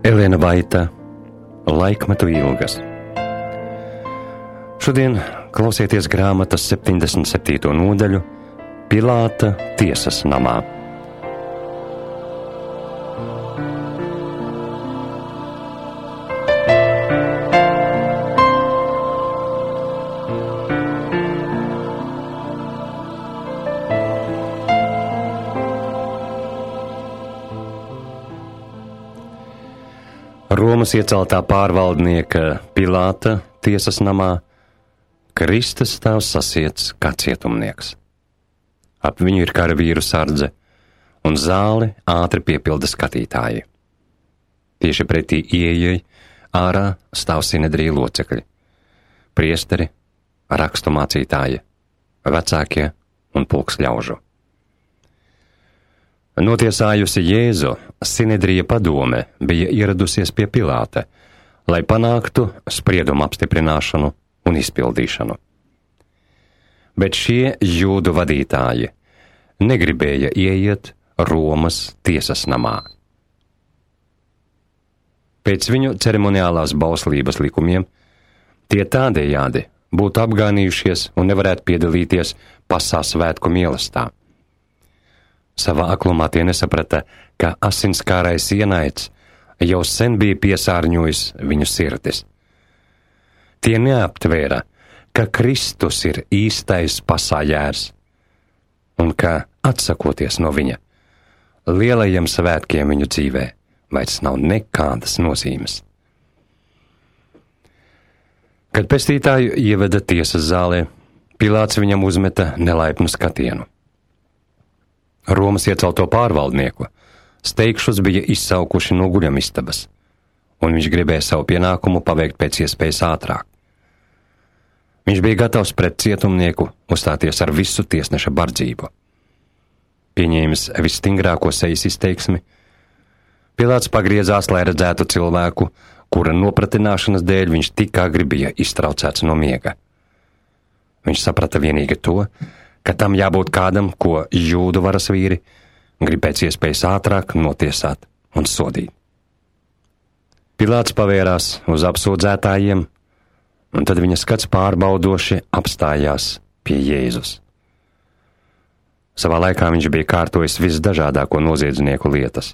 Elena Vaita, Laikmetu ilgas. Šodien klausieties grāmatas 77. nodaļu Pilāta tiesas namā. Romas ieceltā pārvaldnieka Pilāta tiesas namā Kristus stāv sasiets kā cietumnieks. Ap viņu ir karavīru sardze, un zāli ātri piepilda skatītāji. Tieši pretī ieejai ārā stāv Sinedrija locekļi, priesteri, rakstu mācītāji, vecākie un pulks ļaužu. Notiesājusi Jēzu, Sinedrija padome bija ieradusies pie Pilāta, lai panāktu spriedumu apstiprināšanu un izpildīšanu. Bet šie jūdu vadītāji negribēja ieiet Romas tiesas namā. Pēc viņu ceremoniālās bauslības likumiem tie tādējādi būtu apgānījušies un nevarētu piedalīties pasā svētku mīlestā. Savā aklumā tie nesaprata, ka asinskārais ienaids jau sen bija piesārņojis viņu sirdis. Tie neaptvēra, ka Kristus ir īstais pasājērs, un ka, atsakoties no viņa, lielajiem svētkiem viņu dzīvē vairs nav nekādas nozīmes. Kad pestītāju ieveda tiesas zālē, Pilāts viņam uzmeta nelaipnu skatienu. Romas iecelto pārvaldnieku steigšus bija izsaukuši no guļamistabas, un viņš gribēja savu pienākumu paveikt pēc iespējas ātrāk. Viņš bija gatavs pret cietumnieku uzstāties ar visu tiesneša bardzību. Pieņēmis visstingrāko sejas izteiksmi, Pilāts pagriezās, lai redzētu cilvēku, kura nopratināšanas dēļ viņš tik agri bija iztraucēts no miega. Viņš saprata vienīgi to, ka tam jābūt kādam, ko jūdu varas vīri grib pēc iespējas ātrāk notiesāt un sodīt. Pilāts pavērās uz apsūdzētājiem, un tad viņa skats pārbaudoši apstājās pie Jēzus. Savā laikā viņš bija kārtojis visdažādāko noziedznieku lietas,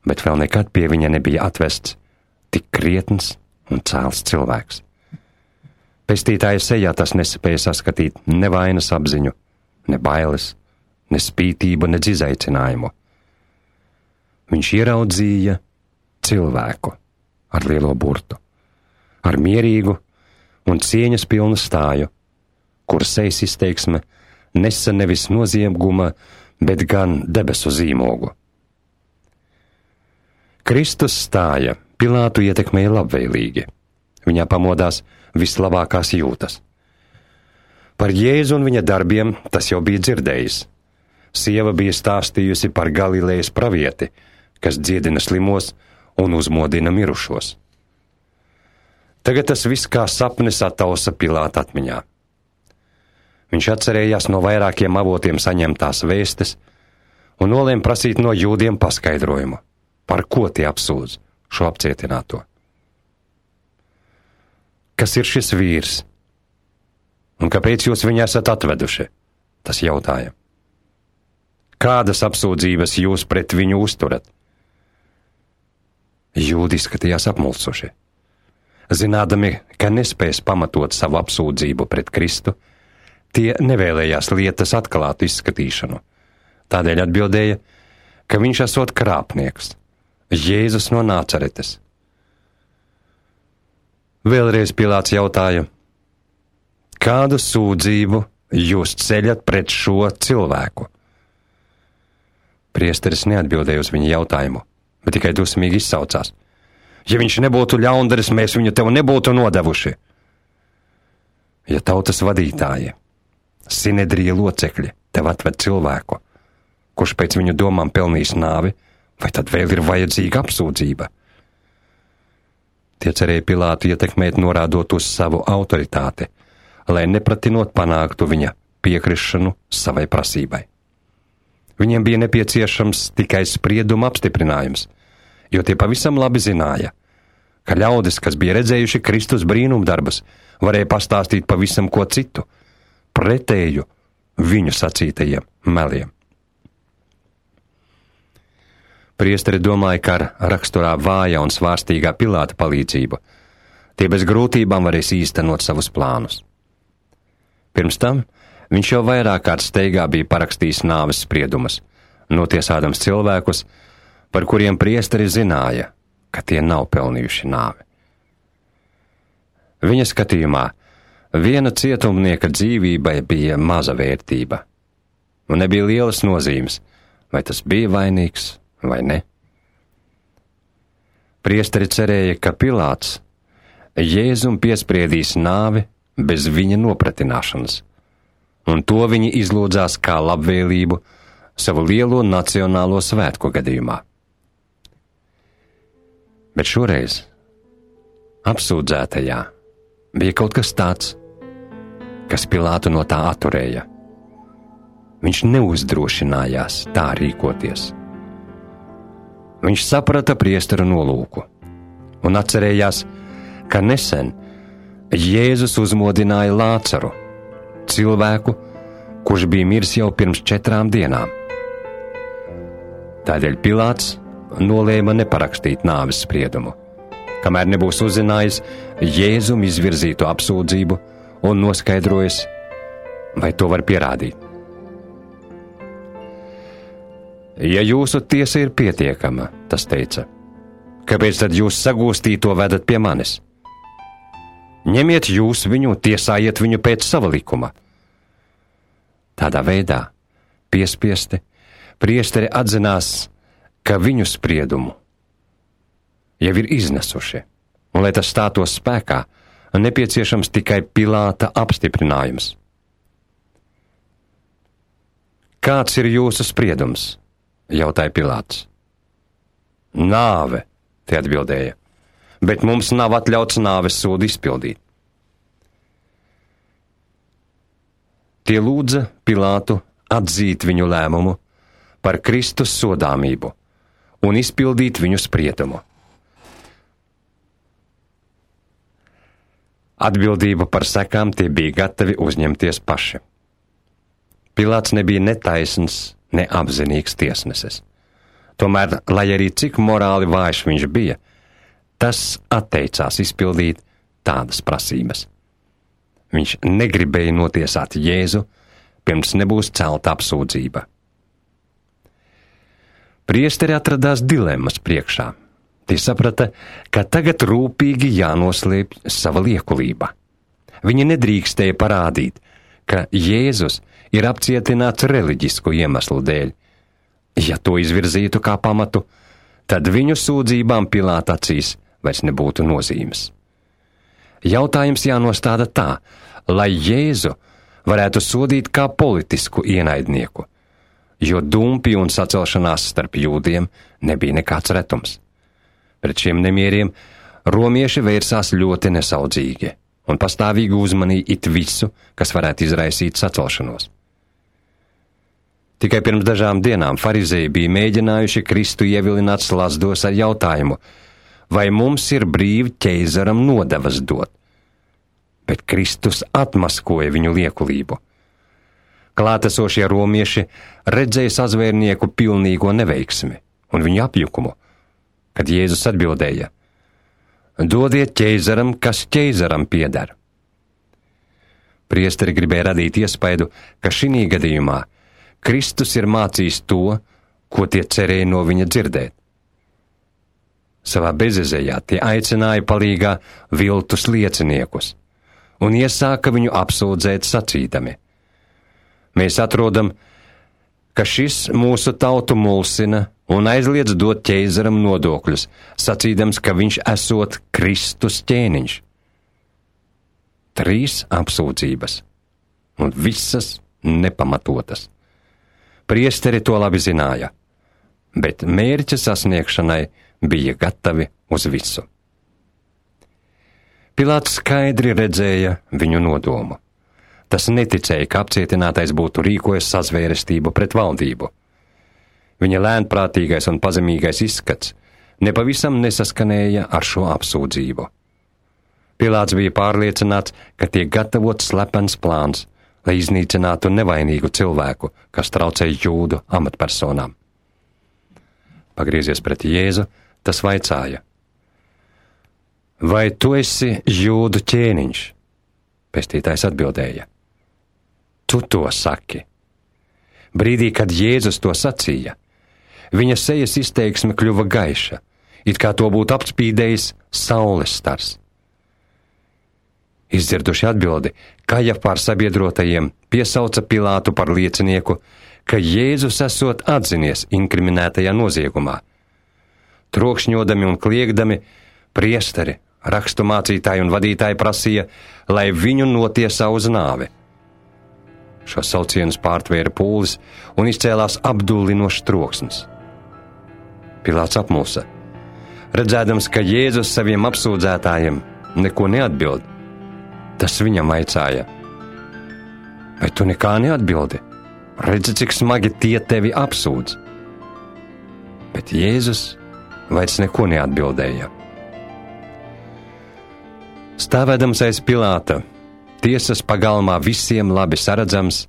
bet vēl nekad pie viņa nebija atvests tik krietns un cēls cilvēks. Pestītāja sejā tas nespēja saskatīt ne vainas apziņu, ne bailes, ne spītību, ne izaicinājumu. Viņš ieraudzīja cilvēku ar lielo burtu, ar mierīgu un cieņas pilnu stāju, kur sejas izteiksme nesa nevis nozieguma, bet gan debesu zīmogu. Kristus stāja Pilātu ietekmēja labvēlīgi. Viņā pamodās vislabākās jūtas. Par Jēzu un viņa darbiem tas jau bija dzirdējis. Sieva bija stāstījusi par Galilejas pravieti, kas dziedina slimos un uzmodina mirušos. Tagad tas viss kā sapnis attausa Pilāta atmiņā. Viņš atcerējās no vairākiem avotiem saņemtās vēstes un nolēma prasīt no jūdiem paskaidrojumu, par ko tie apsūdz šo apcietināto. Kas ir šis vīrs? Un kāpēc jūs viņu esat atveduši? Tas jautāja. Kādas apsūdzības jūs pret viņu uzturat? Jūdi izskatījās apmulsuši. Zinādami, ka nespēs pamatot savu apsūdzību pret Kristu, tie nevēlējās lietas atklātu izskatīšanu. Tādēļ atbildēja, ka viņš esot krāpnieks, Jēzus no Nācaretes. Vēlreiz Pilāts jautāja, kādu sūdzību jūs ceļat pret šo cilvēku? Priesteris neatbildēja uz viņa jautājumu, bet tikai dusmīgi izsaucās. Ja viņš nebūtu ļaundaris, mēs viņu tev nebūtu nodevuši. Ja tautas vadītāji, Sinedrija locekļi tev atved cilvēku, kurš pēc viņu domām pelnījis nāvi, vai tad vēl ir vajadzīga apsūdzība? Tie cerēja Pilātu ietekmēt, norādot uz savu autoritāti, lai nepratinot panāktu viņa piekrišanu savai prasībai. Viņiem bija nepieciešams tikai sprieduma apstiprinājums, jo tie pavisam labi zināja, ka ļaudis, kas bija redzējuši Kristus brīnumdarbus, varēja pastāstīt pavisam ko citu, pretēju viņu sacītajiem meliem. Priesteri domāja, ka ar raksturā vāja un svārstīgā Pilāta palīdzību tie bez grūtībām varēs īstenot savus plānus. Pirms tam viņš jau vairāk kārt steigā bija parakstījis nāves spriedumus, notiesādams cilvēkus, par kuriem priesteri zināja, ka tie nav pelnījuši nāvi. Viņa skatījumā viena cietumnieka dzīvībai bija maza vērtība, un nebija lielas nozīmes, vai tas bija vainīgs vai ne. Priesteri cerēja, ka Pilāts Jēzum piespriedīs nāvi bez viņa nopratināšanas, un to viņi izlūdzās kā labvēlību savu lielo nacionālo svētku gadījumā. Bet šoreiz apsūdzētajā bija kaut kas tāds, kas Pilātu no tā atturēja. Viņš neuzdrošinājās tā rīkoties. Viņš saprata priesteru nolūku un atcerējās, ka nesen Jēzus uzmodināja Lācaru, cilvēku, kurš bija miris jau pirms 4 dienām. Tādēļ Pilāts nolēma neparakstīt nāves spriedumu, kamēr nebūs uzzinājis Jēzum izvirzīto apsūdzību un noskaidrojis, vai to var pierādīt. Ja jūsu tiesa ir pietiekama, tas teica, kāpēc tad jūs sagūstīto vedat pie manis? Ņemiet jūs viņu, tiesājiet viņu pēc sava likuma. Tādā veidā, piespiesti, priesteri atzinās, ka viņu spriedumu jau ir iznesuši, un, lai tas stātos spēkā, nepieciešams tikai Pilāta apstiprinājums. Kāds ir jūsu spriedums? Jautāja Pilāts. Nāve, tie atbildēja, bet mums nav atļauts nāves sodu izpildīt. Tie lūdza Pilātu atzīt viņu lēmumu par Kristus sodāmību un izpildīt viņu spriedumu. Atbildību par sekām tie bija gatavi uzņemties paši. Pilāts nebija netaisns, neapzinīgs tiesnesis. Tomēr, lai arī cik morāli vājš viņš bija, tas atteicās izpildīt tādas prasības. Viņš negribēja notiesāt Jēzu, pirms nebūs celta apsūdzība. Priesteri atradās dilemmas priekšā. Tie saprata, ka tagad rūpīgi jānoslēpj sava liekulība. Viņi nedrīkstēja parādīt, ka Jēzus ir apcietināts reliģisku iemeslu dēļ. Ja to izvirzītu kā pamatu, tad viņu sūdzībām Pilāta acīs vairs nebūtu nozīmes. Jautājums jānostāda tā, lai Jēzu varētu sodīt kā politisku ienaidnieku, jo dumpi un sacelšanās starp jūdiem nebija nekāds retums. Pret šiem nemieriem romieši vērsās ļoti nesaudzīgi un pastāvīgi uzmanīja it visu, kas varētu izraisīt sacelšanos. Tikai pirms dažām dienām farizeji bija mēģinājuši Kristu ievilināt slazdos ar jautājumu, vai mums ir brīvi ķeizaram nodevas dot, bet Kristus atmaskoja viņu liekulību. Klātesošie romieši redzēja sazvērnieku pilnīgo neveiksmi un viņu apjukumu, kad Jēzus atbildēja: dodiet ķeizaram, kas ķeizaram pieder. Priesteri gribēja radīt iespaidu, ka šī gadījumā Kristus ir mācījis to, ko tie cerēja no viņa dzirdēt. Savā bezizejā tie aicināja palīgā viltus lieciniekus un iesāka viņu apsūdzēt sacīdami: mēs atrodam, ka šis mūsu tautu mulsina un aizliedz dot ķeizaram nodokļus, sacīdams, ka viņš esot Kristus ķēniņš. 3 apsūdzības, un visas nepamatotas. Priesteri to labi zināja, bet mērķa sasniegšanai bija gatavi uz visu. Pilāts skaidri redzēja viņu nodomu. Tas neticēja, ka apcietinātais būtu rīkojis sazvērestību pret valdību. Viņa lēnprātīgais un pazemīgais izskats nepavisam nesaskanēja ar šo apsūdzību. Pilāts bija pārliecināts, ka tiek gatavots slepens plāns, lai iznīcinātu nevainīgu cilvēku, kas traucēja jūdu amatpersonām. Pagriezies pret Jēzu, tas vaicāja: Vai tu esi jūdu ķēniņš? Pestītājs atbildēja: Tu to saki. Brīdī, kad Jēzus to sacīja, viņa sejas izteiksme kļuva gaiša, it kā to būtu apspīdējis saules stars. Izdzirduši atbildi, Kajafā ar sabiedrotajiem piesauca Pilātu par liecinieku, ka Jēzus esot atzinies inkriminētajā noziegumā. Trokšņodami un kliegdami priesteri, raksturmācītāji un vadītāji prasīja, lai viņu notiesā uz nāvi. Šo saucienus pārtvēra pūlis un izcēlās apdullinošs troksnis. Pilāts apmulsa, redzēdams, ka Jēzus saviem apsūdzētājiem neko neatbild. Tas viņam vaicāja: Vai tu nekā neatbildi? Redzi, cik smagi tie tevi apsūdz. Bet Jēzus vairs neko neatbildēja. Stāvēdams aiz Pilāta, tiesas pagalmā visiem labi saredzams,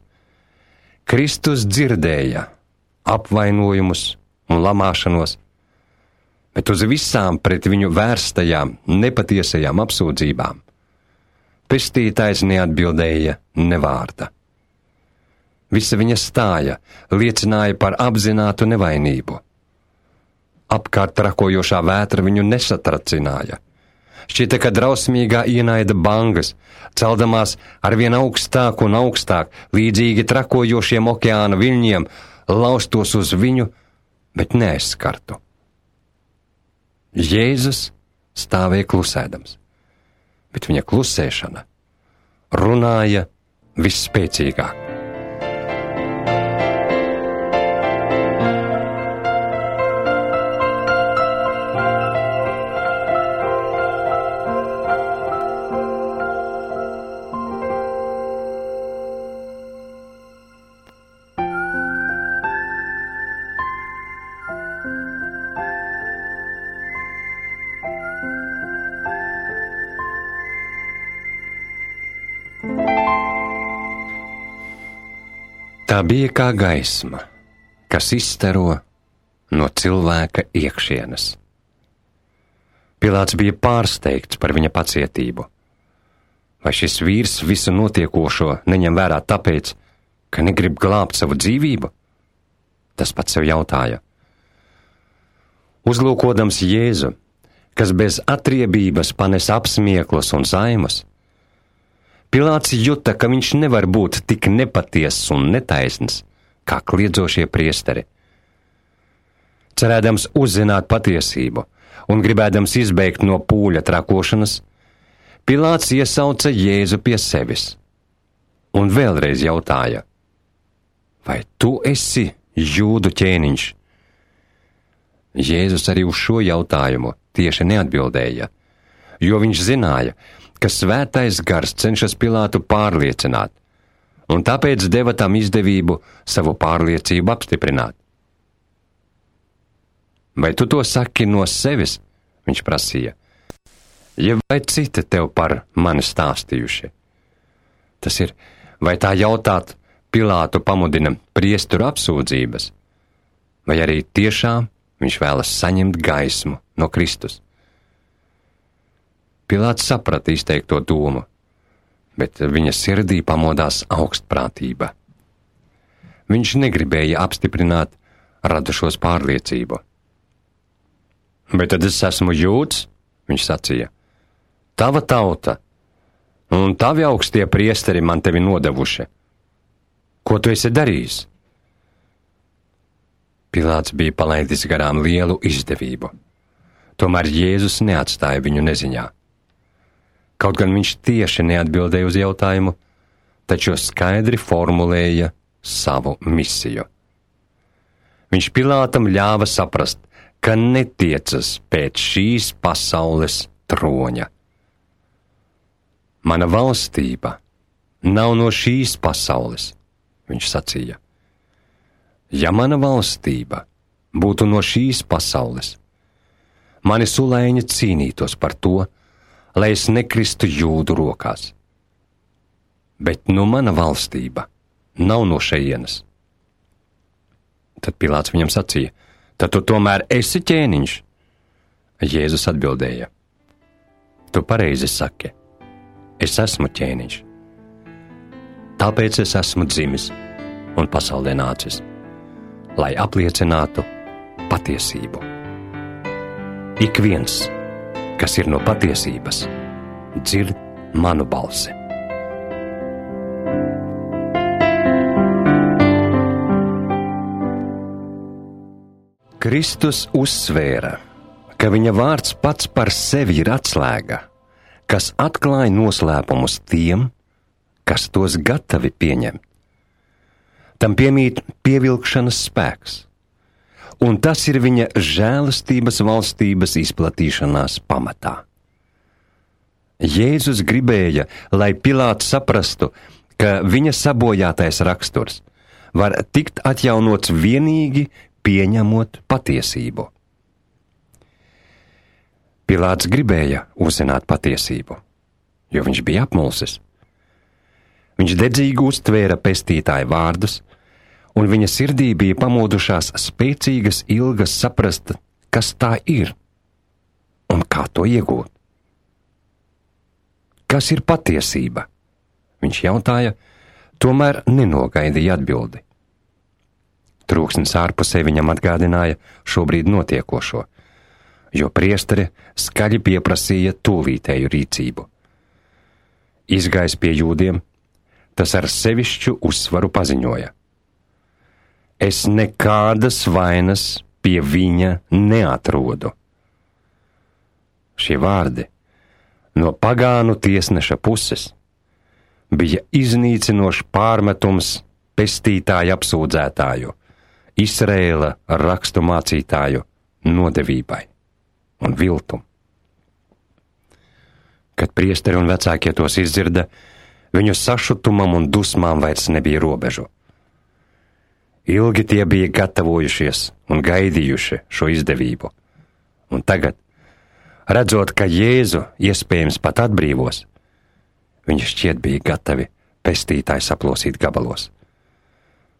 Kristus dzirdēja apvainojumus un lamāšanos, bet uz visām pret viņu vērstajām nepatiesajām apsūdzībām pestītājs neatbildēja ne vārda. Visa viņa stāja liecināja par apzinātu nevainību. Apkārt trakojošā vētra viņu nesatracināja. Šķita, ka drausmīgā ienaida bangas, celdamās arvien augstāk un augstāk, līdzīgi trakojošiem okeāna viļņiem, laustos uz viņu, bet neaizskartu. Jēzus stāvēja klusēdams, bet viņa klusēšana runāja visspēcīgāk. Tā bija kā gaisma, kas izstaro no cilvēka iekšienes. Pilāts bija pārsteigts par viņa pacietību. Vai šis vīrs visu notiekošo neņem vērā tāpēc, ka negrib glābt savu dzīvību? Tas pats sev jautāja. Uzlūkodams Jēzu, kas bez atriebības panes apsmieklus un saimas, Pilāts juta, ka viņš nevar būt tik nepatiess un netaisns, kā kliedzošie priesteri. Cerēdams uzzināt patiesību un gribēdams izbeigt no pūļa trakošanas, Pilāts iesauca Jēzu pie sevis un vēlreiz jautāja: Vai tu esi jūdu ķēniņš? Jēzus arī uz šo jautājumu tieši neatbildēja, jo viņš zināja, ka svētais gars cenšas Pilātu pārliecināt, un tāpēc deva tam izdevību savu pārliecību apstiprināt. Vai tu to saki no sevis? Viņš prasīja. Ja vai citi tev par mani stāstījuši? Tas ir, vai tā jautāt Pilātu pamudina priesteru apsūdzības, vai arī tiešām viņš vēlas saņemt gaismu no Kristus? Pilāts saprata izteikto domu, bet viņa sirdī pamodās augstprātība. Viņš negribēja apstiprināt radušos pārliecību. Bet tad es esmu jūds, viņš sacīja. Tava tauta un tavi augstie priesteri man tevi nodevuši. Ko tu esi darījis? Pilāts bija palaidis garām lielu izdevību. Tomēr Jēzus neatstāja viņu neziņā. Kaut gan viņš tieši neatbildēja uz jautājumu, taču skaidri formulēja savu misiju. Viņš Pilātam ļāva saprast, ka netiecas pēc šīs pasaules troņa. Mana valstība nav no šīs pasaules, viņš sacīja. Ja mana valstība būtu no šīs pasaules, mani sulēņi cīnītos par to, lai es nekristu jūdu rokās. Bet nu mana valstība nav no šejienes. Tad Pilāts viņam sacīja: tad tu tomēr esi ķēniņš? Jēzus atbildēja: tu pareizi saki, es esmu ķēniņš. Tāpēc es esmu dzimis un pasaulē nācis, lai apliecinātu patiesību. Ik viens, kas ir no patiesības, dzird manu balsi. Kristus uzsvēra, ka viņa vārds pats par sevi ir atslēga, kas atklāja noslēpumus tiem, kas tos gatavi pieņemt. Tam piemīt pievilkšanas spēks, un tas ir viņa žēlastības valstības izplatīšanās pamatā. Jēzus gribēja, lai Pilāts saprastu, ka viņa sabojātais raksturs var tikt atjaunots vienīgi pieņemot patiesību. Pilāts gribēja uzzināt patiesību, jo viņš bija apmulsis. Viņš dedzīgi uztvēra pestītāja vārdus, un viņa sirdī bija pamodušās spēcīgas ilgas saprast, kas tā ir un kā to iegūt. Kas ir patiesība? Viņš jautāja, tomēr nenogaidīja atbildi. Trūksnis ārpusē viņam atgādināja šobrīd notiekošo, jo priesteri skaļi pieprasīja tūlītēju rīcību. Izgājis pie jūdiem, tas ar sevišķu uzsvaru paziņoja: es nekādas vainas pie viņa neatrodu. Šie vārdi no pagānu tiesneša puses bija iznīcinošs pārmetums pestītāja apsūdzētāju, Izraēla rakstu mācītāju nodevībai un viltum. Kad priesteri un vecākie tos izdzirda, viņu sašutumam un dusmām vairs nebija robežu. Ilgi tie bija gatavojušies un gaidījuši šo izdevību, un tagad, redzot, ka Jēzu iespējams pat atbrīvos, viņi šķiet bija gatavi pestītāju saplosīt gabalos.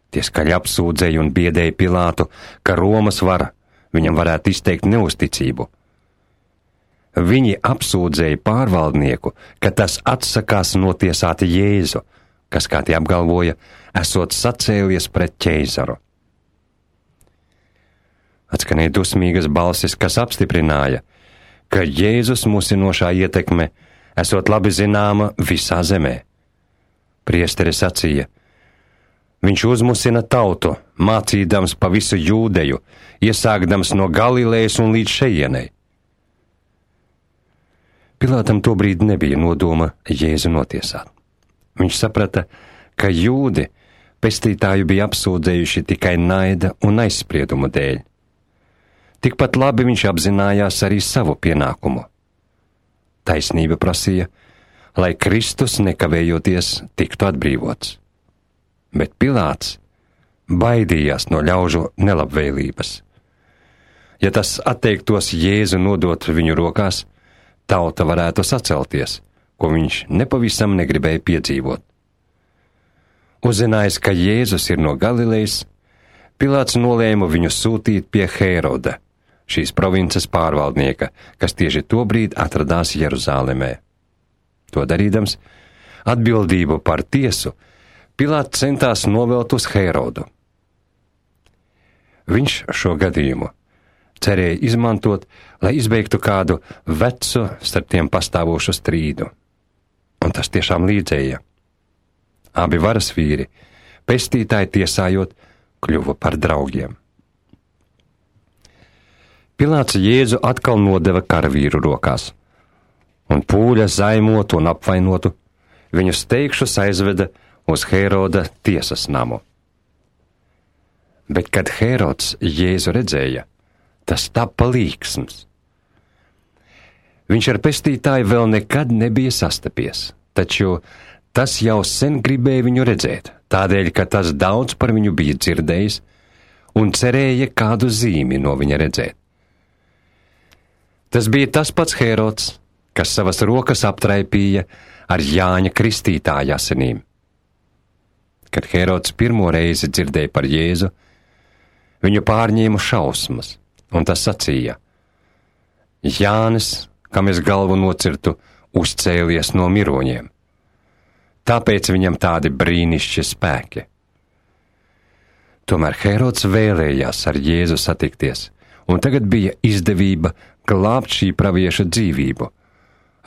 Tie skaļi apsūdzēja un biedēja Pilātu, ka Romas vara viņam varētu izteikt neusticību. Viņi apsūdzēja pārvaldnieku, ka tas atsakās notiesāt Jēzu, kas, kā tie apgalvoja, esot sacēlies pret ķeizaru. Atskanēja dusmīgas balsis, kas apstiprināja, ka Jēzus musinošā ietekme esot labi zināma visā zemē. Priesteri sacīja: viņš uzmusina tautu, mācīdams pa visu Jūdeju, iesākdams no Galilejas un līdz šejienei. Pilātam tobrīd nebija nodoma Jēzu notiesāt. Viņš saprata, ka jūdi pestītāju bija apsūdzējuši tikai naida un aizspriedumu dēļ. Tikpat labi viņš apzinājās arī savu pienākumu. Taisnība prasīja, lai Kristus nekavējoties tiktu atbrīvots. Bet Pilāts baidījās no ļaužu nelabvēlības. Ja tas atteiktos Jēzu nodot viņu rokās, tauta varētu sacelties, ko viņš nepavisam negribēja piedzīvot. Uzzinājis, ka Jēzus ir no Galilejas, Pilāts nolēma viņu sūtīt pie Hēroda, šīs provinces pārvaldnieka, kas tieši tobrīd atradās Jeruzālemē. To darīdams, atbildību par tiesu Pilāts centās novelt uz Hērodu. Viņš šo gadījumu cerēja izmantot, lai izbeigtu kādu vecu starp tiem pastāvošu strīdu. Un tas tiešām līdzēja. Abi varas vīri, pestītāji tiesājot, kļuva par draugiem. Pilāts Jēzu atkal nodeva karavīru rokās, un pūļa zaimotu un apvainotu viņu steigšus aizveda uz Hēroda tiesas namu. Bet, kad Hērods Jēzu redzēja, tas tapa līksms. Viņš ar pestītāju vēl nekad nebija sastapies, taču tas jau sen gribēja viņu redzēt, tādēļ, ka tas daudz par viņu bija dzirdējis un cerēja kādu zīmi no viņa redzēt. Tas bija tas pats Hērods, kas savas rokas aptraipīja ar Jāņa Kristītāja asinīm. Kad Hērods pirmo reizi dzirdēja par Jēzu, viņu pārņēma šausmas, un tas sacīja: Jānis, kam es galvu nocirtu, uzcēlies no miroņiem. Tāpēc viņam tādi brīnišķi spēki. Tomēr Hērods vēlējās ar Jēzu satikties, un tagad bija izdevība glābt šī pravieša dzīvību,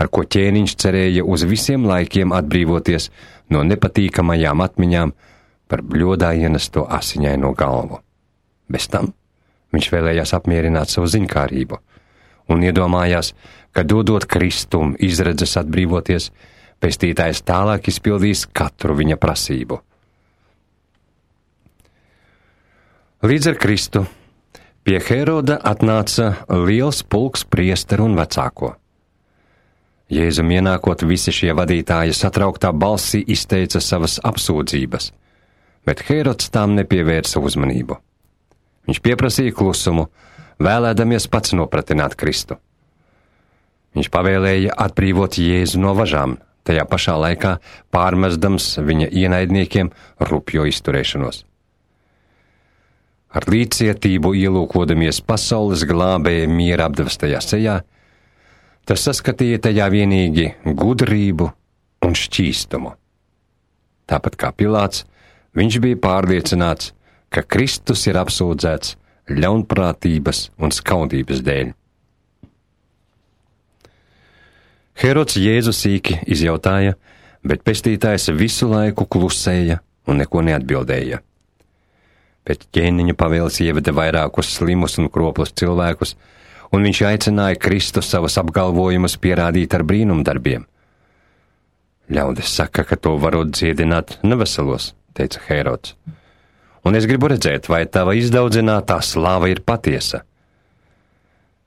ar ko ķēniņš cerēja uz visiem laikiem atbrīvoties no nepatīkamajām atmiņām par bļodā ienesto asiņaino galvu. Bez tam viņš vēlējās apmierināt savu ziņkārību un iedomājās, ka dodot Kristum izredzes atbrīvoties, pestītājs tālāk izpildīs katru viņa prasību. Līdz ar Kristu pie Hēroda atnāca liels pulks priesteru un vecāko. Jēzum ienākot, visi šie vadītāji satrauktā balsī izteica savas apsūdzības, bet Hērods tām nepievērsa uzmanību. Viņš pieprasīja klusumu, vēlēdamies pats nopratināt Kristu. Viņš pavēlēja atbrīvot Jēzu no važām, tajā pašā laikā pārmestams viņa ienaidniekiem rupjo izturēšanos. Ar līdzcietību ielūkodamies pasaules glābēja miera apdevestajā sejā, tas saskatīja tajā vienīgi gudrību un šķīstumu. Tāpat kā Pilāts, viņš bija pārliecināts, ka Kristus ir apsūdzēts ļaunprātības un skaudības dēļ. Hērods Jēzu sīki izjautāja, bet pestītājs visu laiku klusēja un neko neatbildēja. Pēc ķēniņa pavēles ieveda vairākus slimus un kroplus cilvēkus, un viņš aicināja Kristu savus apgalvojumus pierādīt ar brīnumdarbiem. Ļaudis saka, ka to varot dziedināt neveselos, teica Hērods. Un es gribu redzēt, vai tava izdaudzinātā slāva ir patiesa.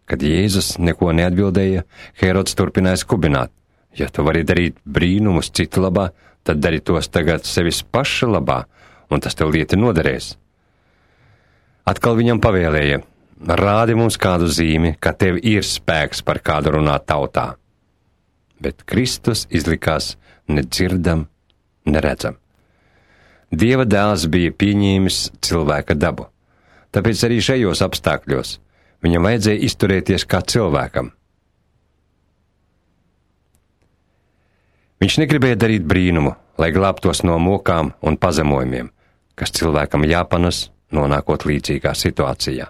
Kad Jēzus neko neatbildēja, Hērods turpināja skubināt: ja tu vari darīt brīnumus citu labā, tad dari tos tagad sevis paša labā, un tas tev lieti noderēs. Atkal viņam pavēlēja: rādi mums kādu zīmi, ka tev ir spēks par kādu runāt tautā. Bet Kristus izlikās nedzirdam, neredzam. Dieva dēls bija pieņēmis cilvēka dabu, tāpēc arī šajos apstākļos viņam vajadzēja izturēties kā cilvēkam. Viņš negribēja darīt brīnumu, lai glābtos no mokām un pazemojumiem, kas cilvēkam jāpanes, nonākot līdzīgā situācijā.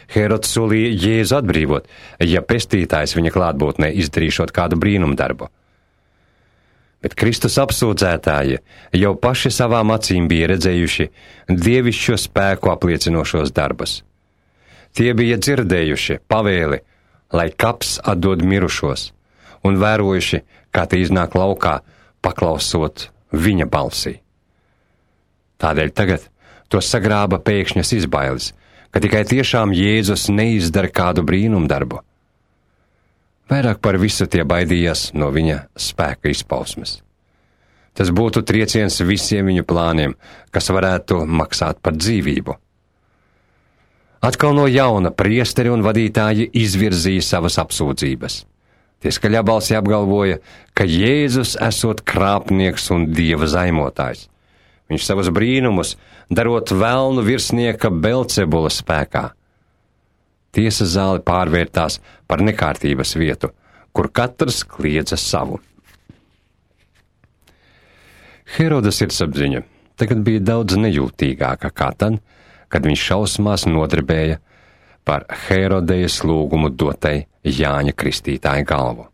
Hērods solīja Jēzu atbrīvot, ja pestītājs viņa klātbūtnē izdarīšot kādu brīnumdarbu. Bet Kristus apsūdzētāji jau paši savām acīm bija redzējuši dievišķo spēku apliecinošos darbus. Tie bija dzirdējuši pavēli, lai kaps atdod mirušos, un vērojuši, kā tie iznāk laukā, paklausot viņa balsī. Tādēļ tagad to sagrāba pēkšņas izbailes, ka tikai tiešām Jēzus neizdara kādu brīnumdarbu. Vairāk par visu tie baidījās no viņa spēka izpausmes. Tas būtu trieciens visiem viņu plāniem, kas varētu maksāt par dzīvību. Atkal no jauna priesteri un vadītāji izvirzīja savas apsūdzības. Tie skaļā balsī apgalvoja, ka Jēzus esot krāpnieks un dieva zaimotājs. Viņš savus brīnumus darot velnu virsnieka Belcebula spēkā. Tiesas zāle pārvērtās par nekārtības vietu, kur katrs kliedza savu. Hēroda sirdsapziņa tagad bija daudz nejūtīgāka kā tad, kad viņš šausmās nodarbēja par Hērodejas lūgumu dotai Jāņa Kristītāja galvu.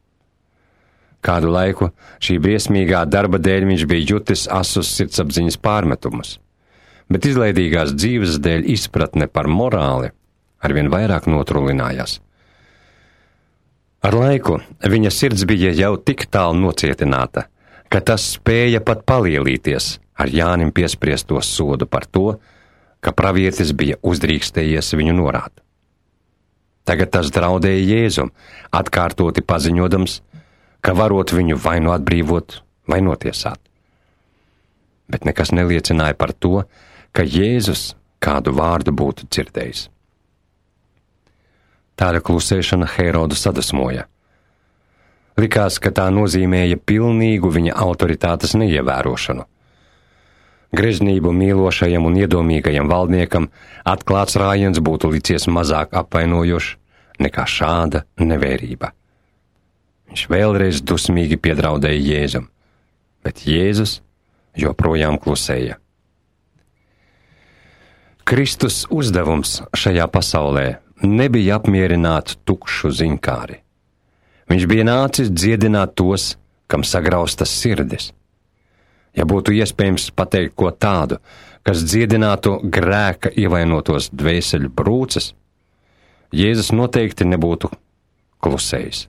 Kādu laiku šī briesmīgā darba dēļ viņš bija jutis asus sirdsapziņas pārmetumus, bet izlaidīgās dzīves dēļ izpratne par morāli arvien vairāk notrulinājās. Ar laiku viņa sirds bija jau tik tālu nocietināta, ka tas spēja pat palielīties ar Jānim piespriesto sodu par to, ka pravietis bija uzdrīkstējies viņu norāt. Tagad tas draudēja Jēzum, atkārtoti paziņodams, ka varot viņu vai nu atbrīvot, vai notiesāt. Bet nekas neliecināja par to, ka Jēzus kādu vārdu būtu dzirdējis. Tāda klusēšana Herodu sadusmoja. Likās, ka tā nozīmēja pilnīgu viņa autoritātes neievērošanu. Greznību mīlošajam un iedomīgajam valdniekam atklāts rājiens būtu licies mazāk apvainojošs nekā šāda nevērība. Viņš vēlreiz dusmīgi piedraudēja Jēzum, bet Jēzus joprojām klusēja. Kristus uzdevums šajā pasaulē nebija apmierināt tukšu ziņkāri. Viņš bija nācis dziedināt tos, kam sagraustas sirdis. Ja būtu iespējams pateikt ko tādu, kas dziedinātu grēka ievainotos dvēseļu brūces, Jēzus noteikti nebūtu klusējis.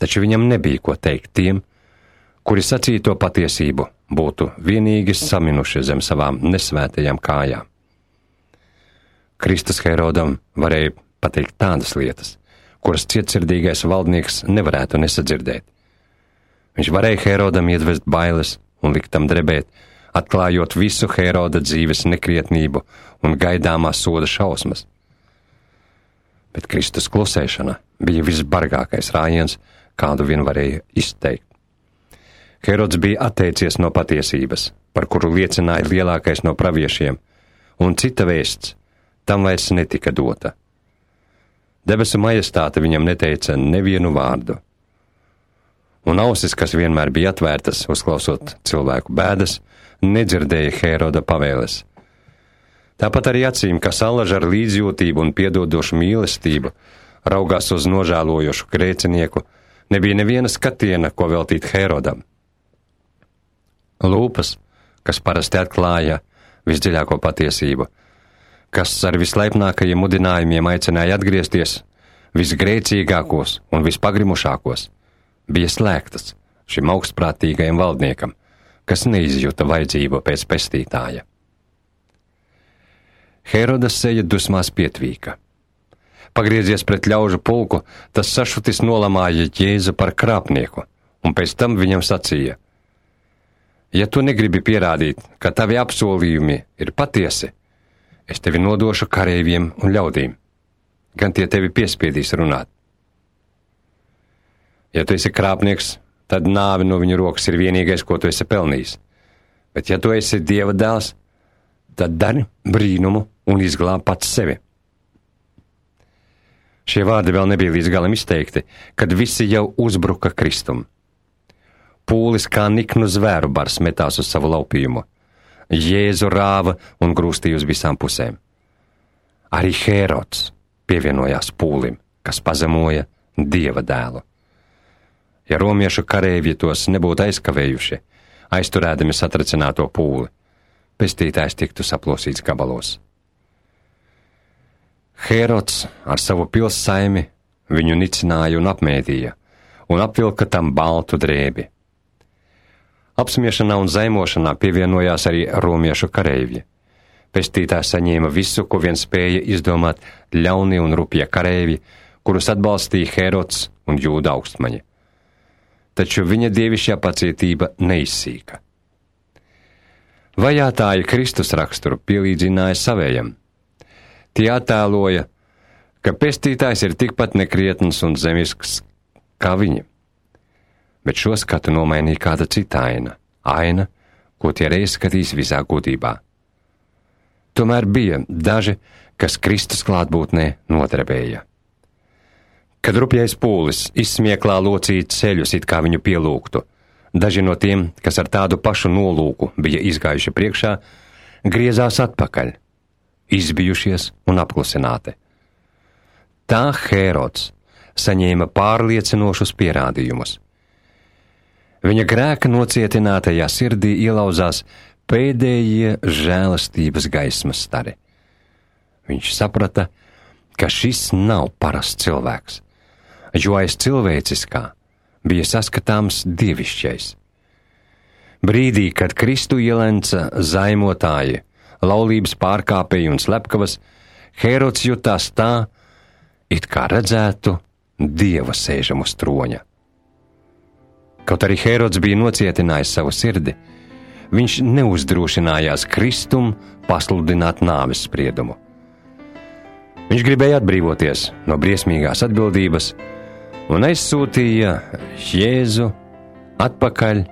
Taču viņam nebija ko teikt tiem, kuri sacīto patiesību būtu vienīgi saminuši zem savām nesvētajām kājām. Kristus Herodam varēja pateikt tādas lietas, kuras cietsirdīgais valdnieks nevarētu nesadzirdēt. Viņš varēja Herodam iedvest bailes un likt tam drebēt, atklājot visu Heroda dzīves nekrietnību un gaidāmā soda šausmas. Bet Kristus klusēšana bija visbargākais rājiens, kādu vien varēja izteikt. Herods bija atteicies no patiesības, par kuru liecināja lielākais no praviešiem, un cita vēsts tam vairs netika dota. Debesu majestāte viņam neteica nevienu vārdu, un ausis, kas vienmēr bija atvērtas, uzklausot cilvēku bēdas, nedzirdēja Heroda pavēles. Tāpat arī acīm, kas allaž ar līdzjūtību un piedodošu mīlestību raugās uz nožēlojošu grēcinieku, nebija neviena skatiena, ko veltīt Herodam. Lūpas, kas parasti atklāja visdziļāko patiesību, kas ar vislaipnākajiem mudinājumiem aicināja atgriezties visgrēcīgākos un vispagrimušākos, bija slēgtas šim augstprātīgajam valdniekam, kas neizjuta vajadzību pēc pestītāja. Heroda seja dusmās pietvīka. Pagriezies pret ļaužu pulku, tas sašutis nolamāja Jēzu par krāpnieku, un pēc tam viņam sacīja: ja tu negribi pierādīt, ka tavi apsolījumi ir patiesi, es tevi nodošu kareiviem un ļaudīm, gan tie tevi piespiedīs runāt. Ja tu esi krāpnieks, tad nāve no viņa rokas ir vienīgais, ko tu esi pelnījis. Bet ja tu esi Dieva dēls, tad dari brīnumu un izglāb pats sevi. Šie vārdi vēl nebija līdz galam izteikti, kad visi jau uzbruka Kristum. Pūlis kā niknu zvēru bars metās uz savu laupījumu. Jēzu rāva un grūstīja uz visām pusēm. Arī Herods pievienojās pūlim, kas pazemoja Dieva dēlu. Ja romiešu kareivji tos nebūtu aizkavējuši, aizturēdami satricināto pūli, pestītājs tiktu saplosīts gabalos. Herods ar savu pilssaimi viņu nicināja un apmēdīja, un apvilka tam baltu drēbi. Apsmiešanā un zaimošanā pievienojās arī romiešu kareivji. Pestītājs saņēma visu, ko vien spēja izdomāt ļaunie un rupjie kareivji, kurus atbalstīja Herods un Jūda augstmaņi. Taču viņa dievišķā pacietība neizsīka. Vajātāji Kristus raksturu pielīdzināja savējam. Tie attēloja, ka pestītājs ir tikpat nekrietns un zemisks kā viņi. Bet šo skatu nomainīja kāda cita aina, ko tie reiz skatīs visā gudībā. Tomēr bija daži, kas Kristus klātbūtnē nodarbēja. Kad rupjais pūlis izsmieklā locīja ceļus, it kā viņu pielūgtu, daži no tiem, kas ar tādu pašu nolūku bija izgājuši priekšā, griezās atpakaļ, izbijušies un apklusināti. Tā Herods saņēma pārliecinošus pierādījumus. Viņa grēka nocietinātajā sirdī ielauzās pēdējie žēlastības gaismas stari. Viņš saprata, ka šis nav parasts cilvēks, jo aiz cilvēciskā bija saskatāms dievišķais. Brīdī, kad Kristu ielenca zaimotāji, laulības pārkāpēji un slepkavas, Herods jutās tā, it kā redzētu Dieva sēžam uz troņa. Kaut arī Herods bija nocietinājis savu sirdi, viņš neuzdrošinājās Kristum pasludināt nāves spriedumu. Viņš gribēja atbrīvoties no briesmīgās atbildības un aizsūtīja Jēzu atpakaļ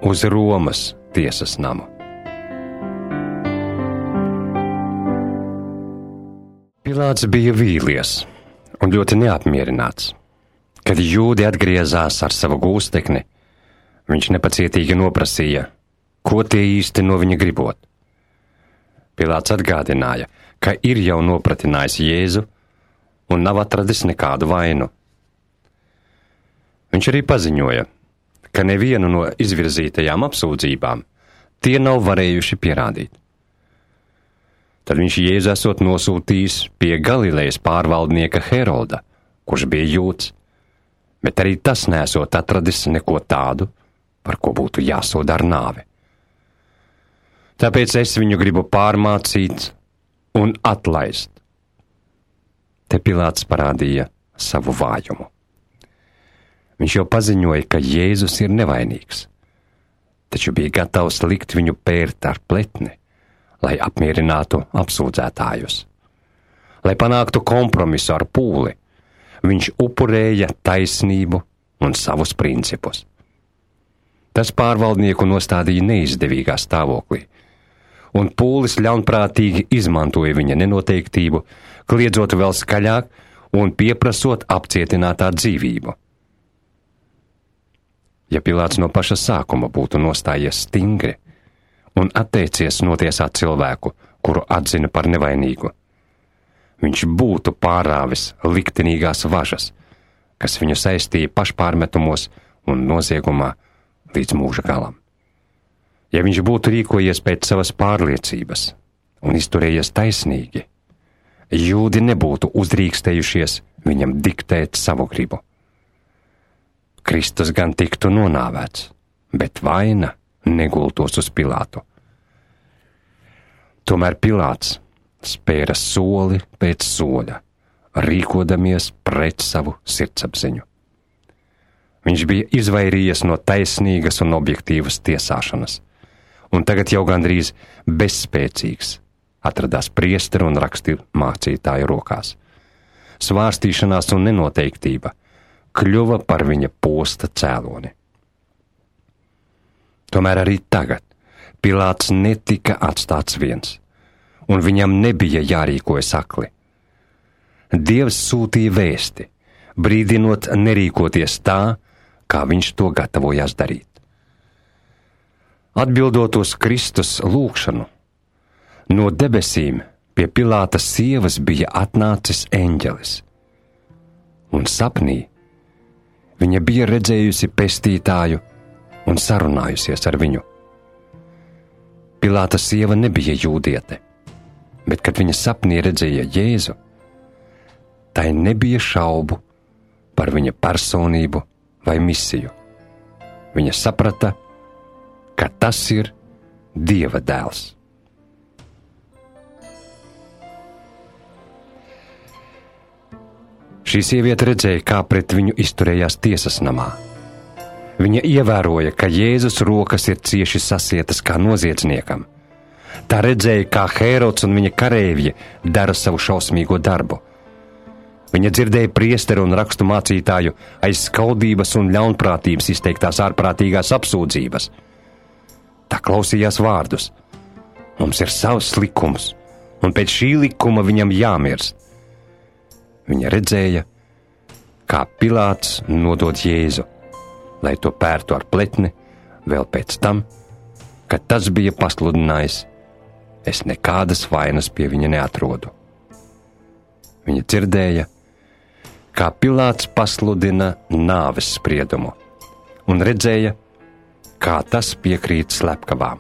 uz Romas tiesas namu. Pilāts bija vīlies un ļoti neapmierināts. Kad jūdi atgriezās ar savu gūstekni, viņš nepacietīgi noprasīja, ko tie īsti no viņa gribot. Pilāts atgādināja, ka ir jau nopratinājis Jēzu un nav atradis nekādu vainu. Viņš arī paziņoja, ka nevienu no izvirzītajām apsūdzībām tie nav varējuši pierādīt. Tad viņš Jēzu esot nosūtījis pie Galilejas pārvaldnieka Heroda, kurš bija jūds, bet arī tas nesot atradis neko tādu, par ko būtu jāsoda ar nāvi. Tāpēc es viņu gribu pārmācīt un atlaist. Te Pilāts parādīja savu vājumu. Viņš jau paziņoja, ka Jēzus ir nevainīgs, taču bija gatavs likt viņu pērt ar pletni, lai apmierinātu apsūdzētājus. Lai panāktu kompromisu ar pūli, viņš upurēja taisnību un savus principus. Tas pārvaldnieku nostādīja neizdevīgā stāvoklī, un pūlis ļaunprātīgi izmantoja viņa nenoteiktību, kliedzot vēl skaļāk un pieprasot apcietinātā dzīvību. Ja Pilāts no paša sākuma būtu nostājies stingri un atteicies notiesāt cilvēku, kuru atzina par nevainīgu, viņš būtu pārāvis liktenīgās važas, kas viņu saistīja pašpārmetumos un noziegumā līdz mūža galam. Ja viņš būtu rīkojies pēc savas pārliecības un izturējies taisnīgi, jūdi nebūtu uzdrīkstējušies viņam diktēt savu gribu. Kristus gan tiktu nonāvēts, bet vaina negultos uz Pilātu. Tomēr Pilāts spēra soli pēc soļa, rīkodamies pret savu sirdsapziņu. Viņš bija izvairījies no taisnīgas un objektīvas tiesāšanas, un tagad jau gandrīz bezspēcīgs atradās priesteru un rakstu mācītāju rokās. Svārstīšanās un nenoteiktība kļuva par viņa posta cēloni. Tomēr arī tagad Pilāts netika atstāts viens, un viņam nebija jārīkojas akli. Dievs sūtīja vēsti, brīdinot nerīkoties tā, kā viņš to gatavojās darīt. Atbildot uz Kristus lūgšanu, no debesīm pie Pilāta sievas bija atnācis eņģelis, un sapnī viņa bija redzējusi pestītāju un sarunājusies ar viņu. Pilāta sieva nebija jūdiete, bet, kad viņa sapnī redzēja Jēzu, tai nebija šaubu par viņa personību vai misiju. Viņa saprata, ka tas ir Dieva dēls. Šī sieviete redzēja, kā pret viņu izturējās tiesas namā. Viņa ievēroja, ka Jēzus rokas ir cieši sasietas kā noziedzniekam. Tā redzēja, kā Hērods un viņa kareivji dara savu šausmīgo darbu. Viņa dzirdēja priesteru un rakstu mācītāju aiz skaudības un ļaunprātības izteiktās ārprātīgās apsūdzības. Tā klausījās vārdus: mums ir savs likums, un pēc šī likuma viņam jāmirst. Viņa redzēja, kā Pilāts nodod Jēzu, lai to pērtu ar pletni, vēl pēc tam, kad tas bija pasludinājis: es nekādas vainas pie viņa neatrodu. Viņa dzirdēja, kā Pilāts pasludina nāves spriedumu, un redzēja, kā tas piekrīt slepkavām.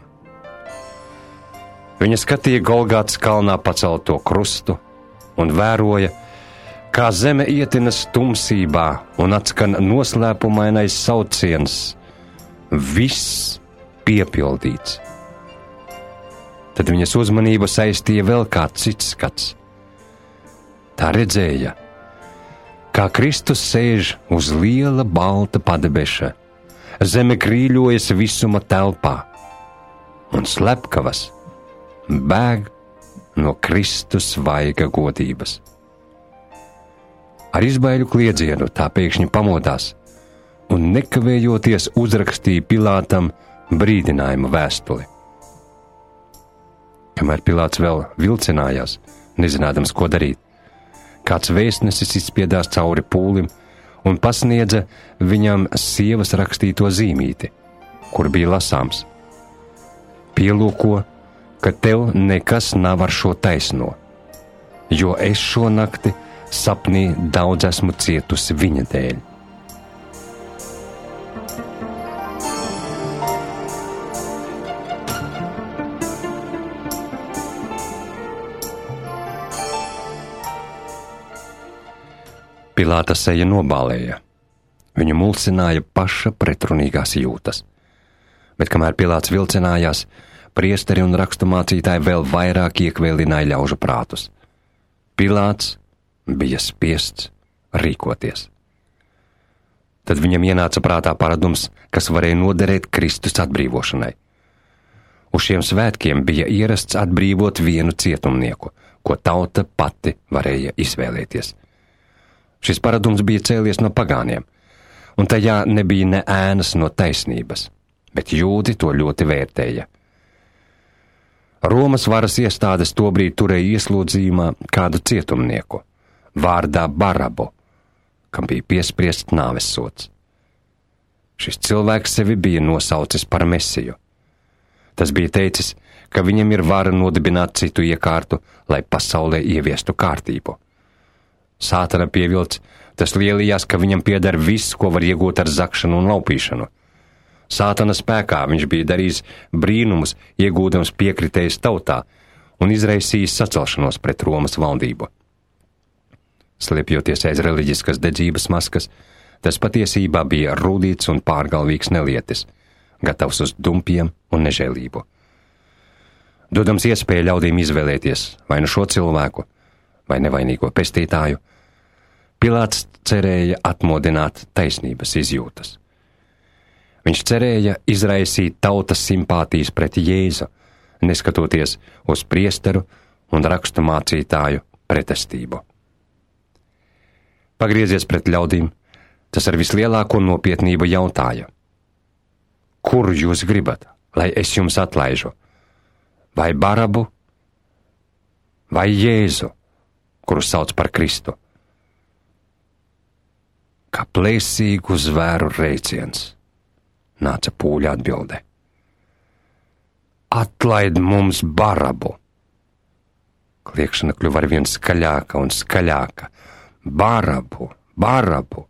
Viņa skatīja Golgātas kalnā pacelto krustu un vēroja, kā zeme ietinas tumsībā un atskan noslēpumainais sauciens: viss piepildīts. Tad viņas uzmanību saistīja vēl kāds cits skats. Tā redzēja, kā Kristus sēž uz liela balta padebeša, zeme krīļojas visuma telpā, un slepkavas bēg no Kristus vaiga godības. Ar izbaiļu kliedzienu tā pēkšņi pamodās un nekavējoties uzrakstīja Pilātam brīdinājumu vēstuli. Kamēr Pilāts vēl vilcinājās, nezinādams, ko darīt, kāds vēstnesis izspiedās cauri pūlim un pasniedza viņam sievas rakstīto zīmīti, kur bija lasāms: pielūko, ka tev nekas nav ar šo taisno, jo es šo nakti sapnī daudz esmu cietusi viņa dēļ. Pilāta seja nobālēja. Viņu mulsināja paša pretrunīgās jūtas. Bet kamēr Pilāts vilcinājās, priesteri un raksturmācītāji vēl vairāk iekvēlināja ļaužu prātus. Pilāts bija spiests rīkoties. Tad viņam ienāca prātā paradums, kas varēja noderēt Kristus atbrīvošanai. Uz šiem svētkiem bija ierasts atbrīvot vienu cietumnieku, ko tauta pati varēja izvēlēties. Šis paradums bija cēlies no pagāniem, un tajā nebija ne ēnas no taisnības, bet jūdi to ļoti vērtēja. Romas varas iestādes tobrīd turēja ieslodzījumā kādu cietumnieku, vārdā Barabu, kam bija piespriests nāvessods. Šis cilvēks sevi bija nosaucis par Mesiju. Tas bija teicis, ka viņam ir vara nodibināt citu iekārtu, lai pasaulē ieviestu kārtību. Sātana pievilts, tas lielījās, ka viņam pieder viss, ko var iegūt ar zakšanu un laupīšanu. Sātana spēkā viņš bija darījis brīnumus, iegūdams piekritējis tautā un izraisījis sacelšanos pret Romas valdību. Sliepjoties aiz reliģiskas dedzības maskas, tas patiesībā bija rūdīts un pārgalvīgs nelietis, gatavs uz dumpiem un nežēlību. Dodams iespēju ļaudīm izvēlēties vai nu šo cilvēku, vai nevainīgo pestītāju, Pilāts cerēja atmodināt taisnības izjūtas. Viņš cerēja izraisīt tautas simpātijas pret Jēzu, neskatoties uz priesteru un raksturmācītāju pretestību. Pagriezies pret ļaudīm, tas ar vislielāko nopietnību jautāja: kur jūs gribat, lai es jums atlaižu? Vai Barabu, vai Jēzu, kuru sauc par Kristu? Kā plēsīgu zvēru reiciens, nāca pūļa atbilde: atlaid mums Barabu! Kliekšana kļuva arvien skaļāka un skaļāka. Barabu, Barabu!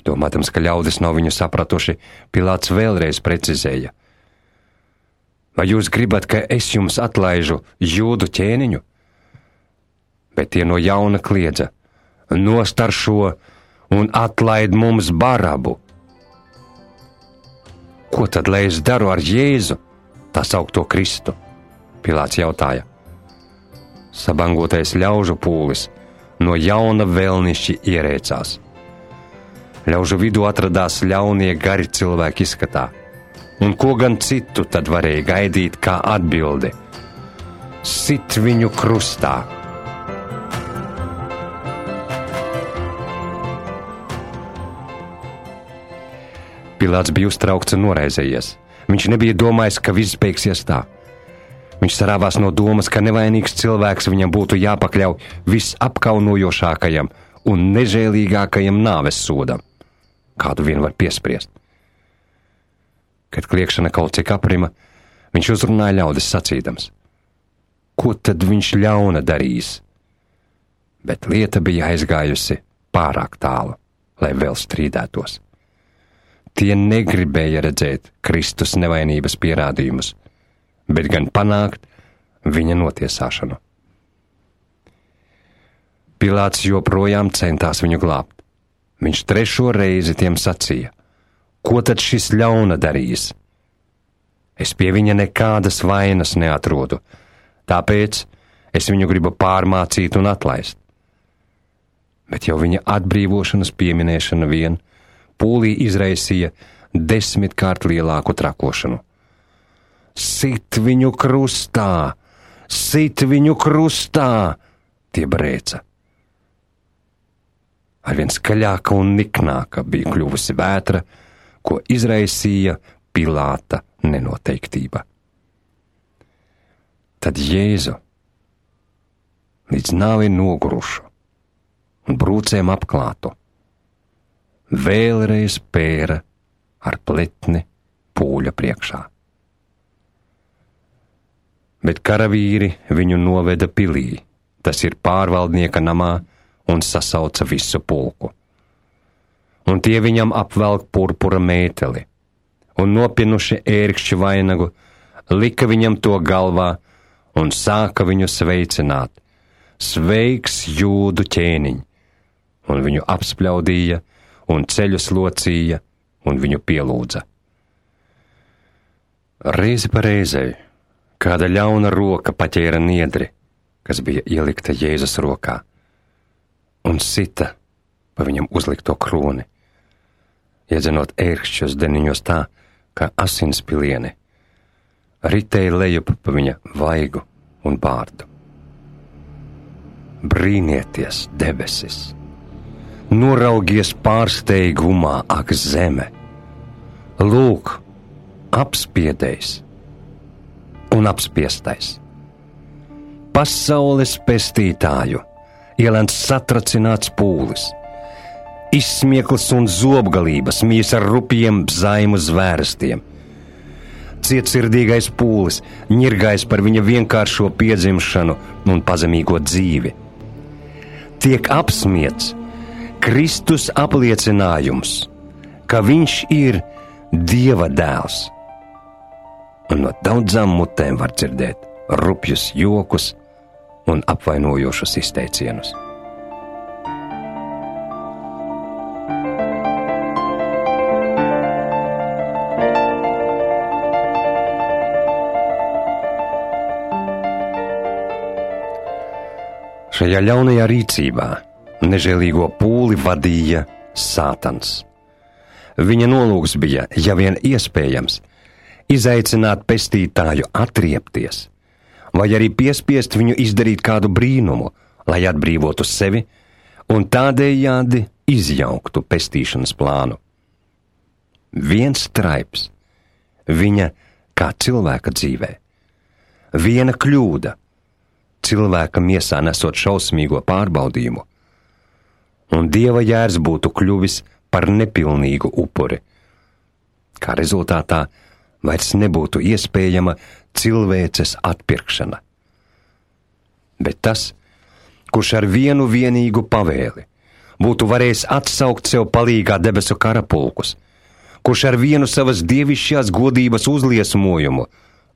Domātams, ka ļaudis nav viņu sapratuši, Pilāts vēlreiz precizēja: vai jūs gribat, ka es jums atlaižu jūdu ķēniņu? Bet tie no jauna kliedza: nost ar šo un atlaid mums Barabu! Ko tad, lai es daru ar Jēzu, tā saukto Kristu? Pilāts jautāja. Sabangotais ļaužu pūlis no jauna vēlnišķi ierēcās. Ļaužu vidū atradās ļaunie gari cilvēki izskatā, un ko gan citu tad varēja gaidīt kā atbildi: sit viņu krustā! Pilāts bija uztraukts un noraizējies. Viņš nebija domājis, ka viss beigsies tā. Viņš sarāvās no domas, ka nevainīgs cilvēks viņam būtu jāpakļauj visapkaunojošākajam un nežēlīgākajam nāves sodam, kādu vien var piespriest. Kad kliekšana kaut cik aprima, viņš uzrunāja ļaudis sacīdams: ko tad viņš ļauna darīs? Bet lieta bija aizgājusi pārāk tālu, lai vēl strīdētos. Tie negribēja redzēt Kristus nevainības pierādījumus, bet gan panākt viņa notiesāšanu. Pilāts joprojām centās viņu glābt. Viņš 3. reizi tiem sacīja: ko tad šis ļauna darīs? Es pie viņa nekādas vainas neatrodu, tāpēc es viņu gribu pārmācīt un atlaist. Bet jau viņa atbrīvošanas pieminēšana vien pūlī izraisīja 10 kārt lielāku trakošanu. Sit viņu krustā! Sit viņu krustā! Tie brēca. arvien skaļāka un niknāka bija kļuvusi vētra, ko izraisīja Pilāta nenoteiktība. Tad Jēzu līdz nāvei nogurušu un brūcēm apklātu vēlreiz pēra ar pletni pūļa priekšā. Bet karavīri viņu noveda pilī, tas ir pārvaldnieka namā, un sasauca visu pulku. Un tie viņam apvelk purpura mēteli, un nopinuši ērkšķi vainagu, lika viņam to galvā un sāka viņu sveicināt. Sveiks, Jūdu ķēniņ! Un viņu apspļaudīja, un ceļus locīja, un viņu pielūdza. Reizi pa reizei kāda ļauna roka paķēra niedri, kas bija ielikta Jēzus rokā, un sita pa viņam uzlikto kroni, iedzenot ērkšķus deniņos tā, kā asins pilieni, ritēja lejup pa viņa vaigu un bārdu. Brīnieties, debesis! Noraugies pārsteigumā, ak zeme! Lūk, apspiedējs un apspiestais! Pasaules pestītāju ielēns satracināts pūlis, izsmieklis un zobgalības mīs ar rupjiem zaimu zvērstiem. Cietsirdīgais pūlis ņirgājs par viņa vienkāršo piedzimšanu un pazemīgo dzīvi. Tiek apsmiets Kristus apliecinājums, ka viņš ir Dieva dēls. Un no daudzām mutēm var dzirdēt rupjus jokus un apvainojošus izteicienus. Šajā ļaunajā rīcībā nežēlīgo pūli vadīja Sātans. Viņa nolūks bija, ja vien iespējams, izaicināt pestītāju atriepties, vai arī piespiest viņu izdarīt kādu brīnumu, lai atbrīvotu sevi un tādējādi izjauktu pestīšanas plānu. Viens straips viņa kā cilvēka dzīvē, viena kļūda cilvēka miesā nesot šausmīgo pārbaudījumu, un Dieva jērs būtu kļuvis par nepilnīgu upuri. Kā rezultātā vairs nebūtu iespējama cilvēces atpirkšana. Bet tas, kurš ar vienu vienīgu pavēli būtu varējis atsaukt sev palīgā debesu karapulkus, kurš ar vienu savas dievišķās godības uzliesmojumu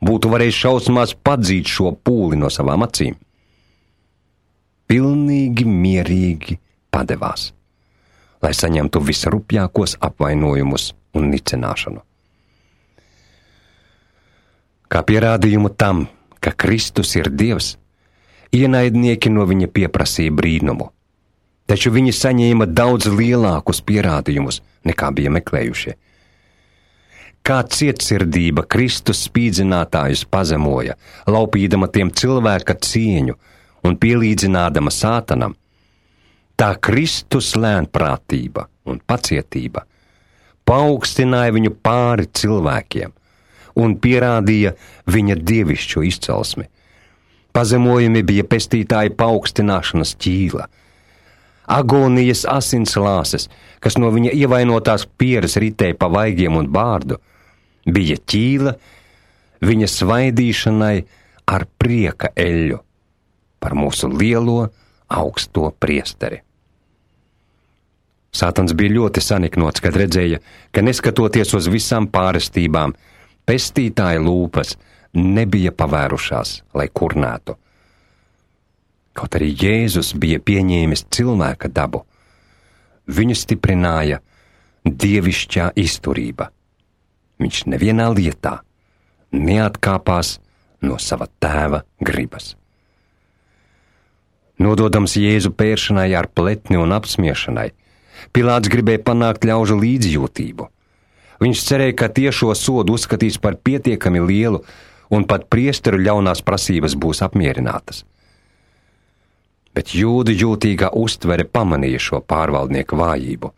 būtu varējis šausmās padzīt šo pūli no savām acīm, pilnīgi mierīgi padevās, lai saņemtu visrupjākos apvainojumus un nicināšanu. Kā pierādījumu tam, ka Kristus ir Dievs, ienaidnieki no viņa pieprasīja brīnumu, taču viņi saņēma daudz lielākus pierādījumus, nekā bija meklējušie. Kā cietsirdība Kristus spīdzinātājus pazemoja, laupīdama tiem cilvēka cieņu un pielīdzinādama Sātanam, tā Kristus lēnprātība un pacietība paaugstināja viņu pāri cilvēkiem un pierādīja viņa dievišķo izcelsmi. Pazemojumi bija pestītāja paaugstināšanas ķīla, agonijas asins lāses, kas no viņa ievainotās pieres ritēja pa vaigiem un bārdu, bija ķīla viņa svaidīšanai ar prieka eļļu par mūsu lielo augsto priesteri. Sātans bija ļoti saniknots, kad redzēja, ka neskatoties uz visām pārestībām, pestītāja lūpas nebija pavērušās, lai kurnētu. Kaut arī Jēzus bija pieņēmis cilvēka dabu, viņu stiprināja dievišķā izturība. Viņš nevienā lietā neatkāpās no sava tēva gribas. Nododams Jēzu pēršanai ar pletni un apsmiešanai, Pilāts gribēja panākt ļaužu līdzjūtību. Viņš cerēja, ka tiešo sodu uzskatīs par pietiekami lielu un pat priesteru ļaunās prasības būs apmierinātas. Bet jūdu jūtīgā uztvere pamanīja šo pārvaldnieku vājību,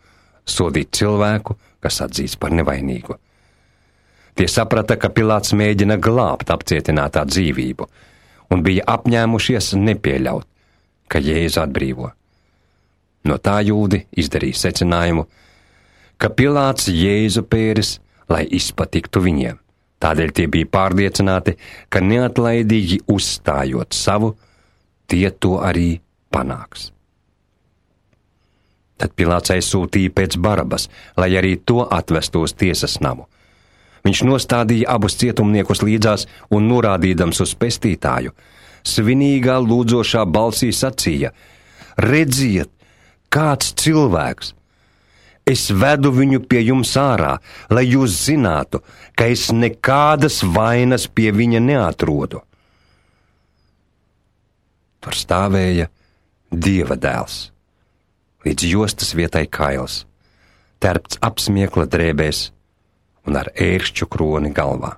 sodīt cilvēku, kas atzīts par nevainīgu. Tie saprata, ka Pilāts mēģina glābt apcietinātā dzīvību, un bija apņēmušies nepieļaut, ka Jēzu atbrīvo. No tā jūdi izdarīja secinājumu, ka Pilāts Jēzu pēris, lai izpatiktu viņiem. Tādēļ tie bija pārliecināti, ka neatlaidīgi uzstājot savu, tie to arī panāks. Tad Pilāts aizsūtīja pēc Barabas, lai arī to atvestu uz tiesas namu. Viņš nostādīja abus cietumniekus līdzās un norādīdams uz pestītāju, svinīgā lūdzošā balsī sacīja: redziet, kāds cilvēks! Es vedu viņu pie jums ārā, lai jūs zinātu, ka es nekādas vainas pie viņa neatrodu. Tur stāvēja Dieva dēls, līdz jostas vietai kails, terpts apsmiekla drēbēs un ar ērkšķu kroni galvā.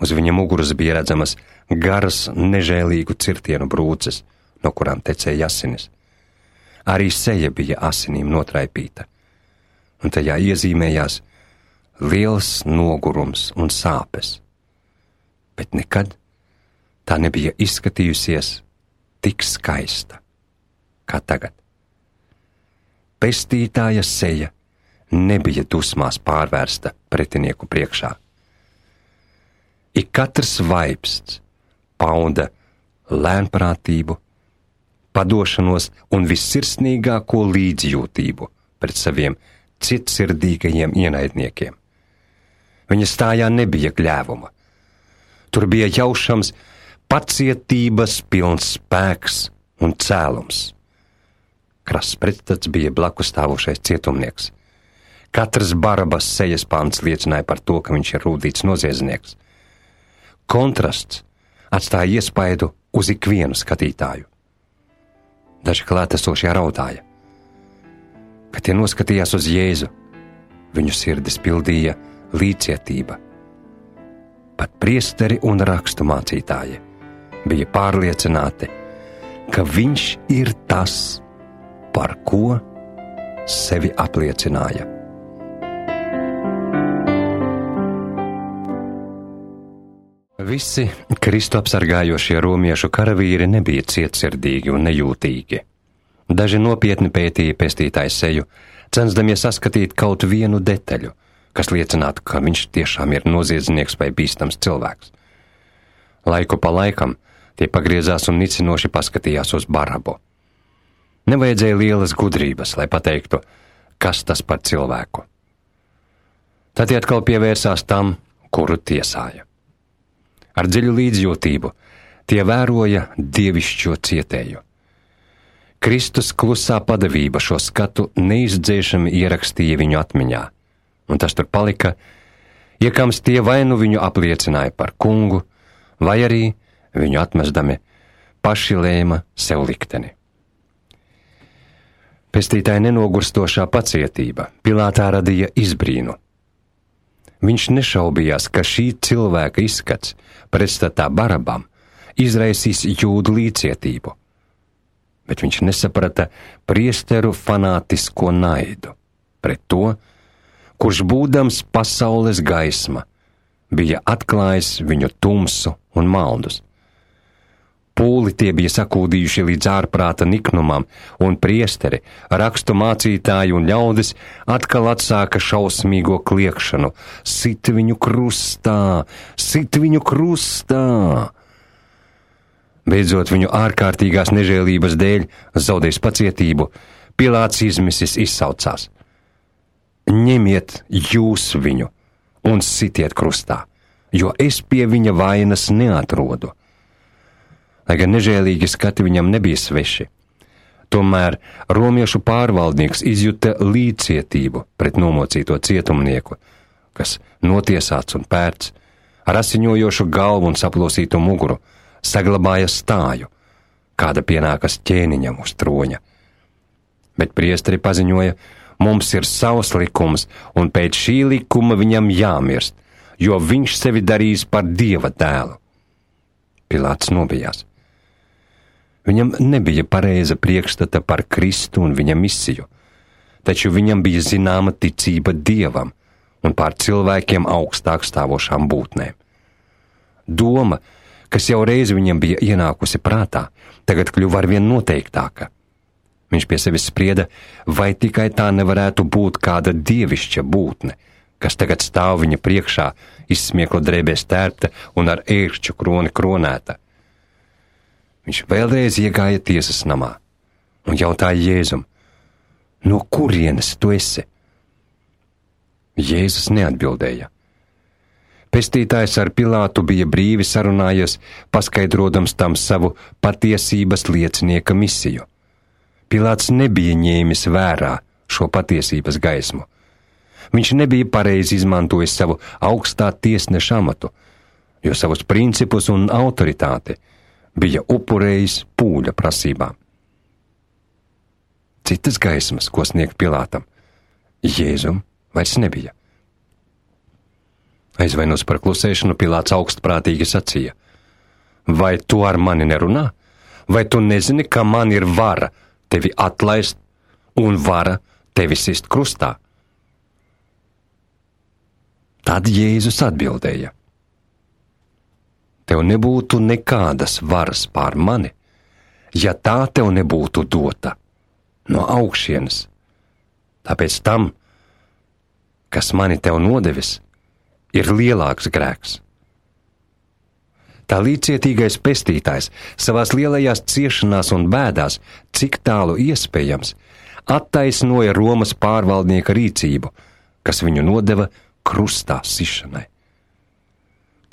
Uz viņa muguras bija redzamas garas, nežēlīgu cirtienu brūces, no kurām tecēja asinis. Arī seja bija asinīm notraipīta, un tajā iezīmējās liels nogurums un sāpes, bet nekad tā nebija izskatījusies tik skaista kā tagad. Pestītāja seja nebija dusmās pārvērsta pretinieku priekšā. Ik katrs vaipsts pauda lēnprātību, padošanos un vissirsnīgāko līdzjūtību pret saviem cietsirdīgajiem ienaidniekiem. Viņa stājā nebija gļēvuma. Tur bija jaušams pacietības pilns spēks un cēlums. Krass pretstats bija blakus stāvošais cietumnieks. Katrs Barabas sejas pants liecināja par to, ka viņš ir rūdīts noziedznieks. Kontrasts atstāja iespaidu uz ikvienu skatītāju. Daži klātesošie raudāja. Kad tie noskatījās uz Jēzu, viņu sirdis pildīja līdzcietība. Pat priesteri un rakstu mācītāji bija pārliecināti, ka viņš ir tas, par ko sevi apliecināja. Visi Kristu apsargājošie romiešu karavīri nebija cietsirdīgi un nejūtīgi. Daži nopietni pētīja pestītāju seju, censdamies saskatīt kaut vienu detaļu, kas liecinātu, ka viņš tiešām ir noziedznieks vai bīstams cilvēks. Laiku pa laikam tie pagriezās un nicinoši paskatījās uz Barabu. Nevajadzēja lielas gudrības, lai pateiktu, kas tas par cilvēku. Tad tie atkal pievērsās tam, kuru tiesāja. Ar dziļu līdzjūtību tie vēroja dievišķo cietēju. Kristus klusā padavība šo skatu neizdzēšami ierakstīja viņu atmiņā, un tas tur palika, iekams tie vai nu viņu apliecināja par kungu, vai arī viņu atmestami paši lēma sev likteni. Pestītāja nenogurstošā pacietība Pilātā radīja izbrīnu. Viņš nešaubījās, ka šī cilvēka izskats pretstatā Barabam izraisīs jūdu līdzcietību, bet viņš nesaprata priesteru fanātisko naidu pret to, kurš būdams pasaules gaisma, bija atklājis viņu tumsu un maldus. Pūli tie bija sakūdījuši līdz ārprāta niknumam, un priesteri, rakstu mācītāji un ļaudis atkal atsāka šausmīgo kliekšanu: sit viņu krustā, sit viņu krustā! Beidzot viņu ārkārtīgās nežēlības dēļ zaudējis pacietību, Pilāts izmisis izsaucās: ņemiet jūs viņu un sitiet krustā, jo es pie viņa vainas neatrodu. Lai gan nežēlīgi skati viņam nebija sveši, tomēr romiešu pārvaldnieks izjuta līdzcietību pret nomocīto cietumnieku, kas notiesāts un pērts, ar asiņojošu galvu un saplosītu muguru, saglabāja stāju, kāda pienākas ķēniņam uz troņa. Bet priesteri paziņoja: mums ir savs likums, un pēc šī likuma viņam jāmirst, jo viņš sevi darīs par Dieva dēlu. Pilāts nobijās. Viņam nebija pareiza priekšstata par Kristu un viņa misiju, taču viņam bija zināma ticība Dievam un pār cilvēkiem augstāk stāvošām būtnēm. Doma, kas jau reiz viņam bija ienākusi prātā, tagad kļuva arvien noteiktāka. Viņš pie sevis sprieda, vai tikai tā nevarētu būt kāda dievišķa būtne, kas tagad stāv viņa priekšā, izsmiekla drēbēs tērpta un ar ērkšķu kroni kronēta. Viņš vēlreiz iegāja tiesas namā un jautāja Jēzum, no kurienes tu esi? Jēzus neatbildēja. Pestītājs ar Pilātu bija brīvi sarunājies, paskaidrodams tam savu patiesības liecinieka misiju. Pilāts nebija ņēmis vērā šo patiesības gaismu. Viņš nebija pareizi izmantojis savu augstā tiesneša amatu, jo savus principus un autoritāti bija upurējis pūļa prasībām. Citas gaismas, ko sniegt Pilātam, Jēzum vairs nebija. Aizvainojis par klusēšanu, Pilāts augstprātīgi sacīja: vai tu ar mani nerunā? Vai tu nezini, ka man ir vara tevi atlaist un vara tevi sist krustā? Tad Jēzus atbildēja: tev nebūtu nekādas varas pār mani, ja tā tev nebūtu dota no augšienes. Tāpēc tam, kas mani tev nodevis, ir lielāks grēks. Tā līdzcietīgais pestītājs savās lielajās ciešanās un bēdās, cik tālu iespējams, attaisnoja Romas pārvaldnieka rīcību, kas viņu nodeva krustā sišanai.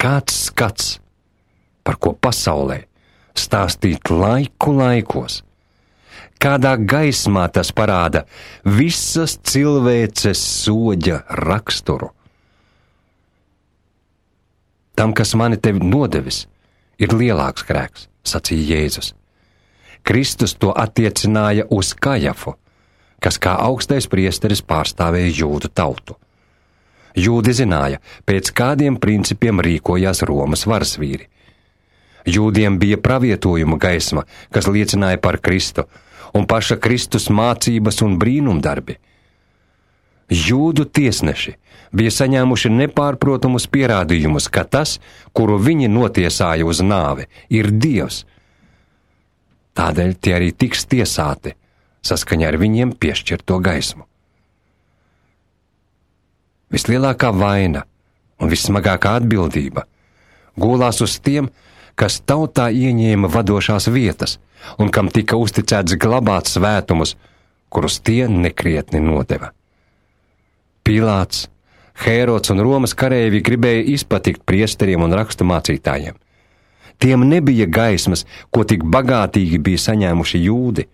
Kāds skats, par ko pasaulē stāstīt laiku laikos, kādā gaismā tas parāda visas cilvēces soģa raksturu. Tam, kas mani tevi nodevis, ir lielāks grēks, sacīja Jēzus. Kristus to attiecināja uz Kajafu, kas kā augstais priesteris pārstāvēja jūdu tautu. Jūdi zināja, pēc kādiem principiem rīkojās Romas varsvīri. Jūdiem bija pravietojuma gaisma, kas liecināja par Kristu, un paša Kristus mācības un brīnumdarbi. Jūdu tiesneši bija saņēmuši nepārprotamus pierādījumus, ka tas, kuru viņi notiesāja uz nāvi, ir Dievs. Tādēļ tie arī tiks tiesāti saskaņā ar viņiem piešķirto gaismu. Vislielākā vaina un vissmagākā atbildība gulās uz tiem, kas tautā ieņēma vadošās vietas un kam tika uzticēts glabāt svētumus, kurus tie nekrietni nodeva. Pilāts, Hērods un Romas kareivji gribēja izpatikt priesteriem un rakstu mācītājiem. Tiem nebija gaismas, ko tik bagātīgi bija saņēmuši jūdi.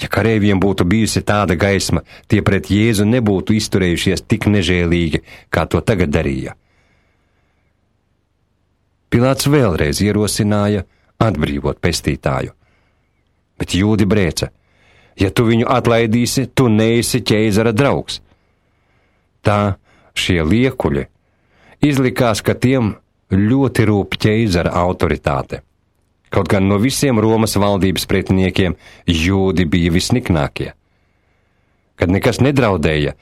Ja kareiviem būtu bijusi tāda gaisma, tie pret Jēzu nebūtu izturējušies tik nežēlīgi, kā to tagad darīja. Pilāts vēlreiz ierosināja atbrīvot pestītāju. Bet jūdi brēca: ja tu viņu atlaidīsi, tu neesi ķēzara draugs. Tā šie liekuļi izlikās, ka tiem ļoti rūp ķēzara autoritāte. Kaut gan no visiem Romas valdības pretiniekiem jūdi bija visniknākie. Kad nekas nedraudēja,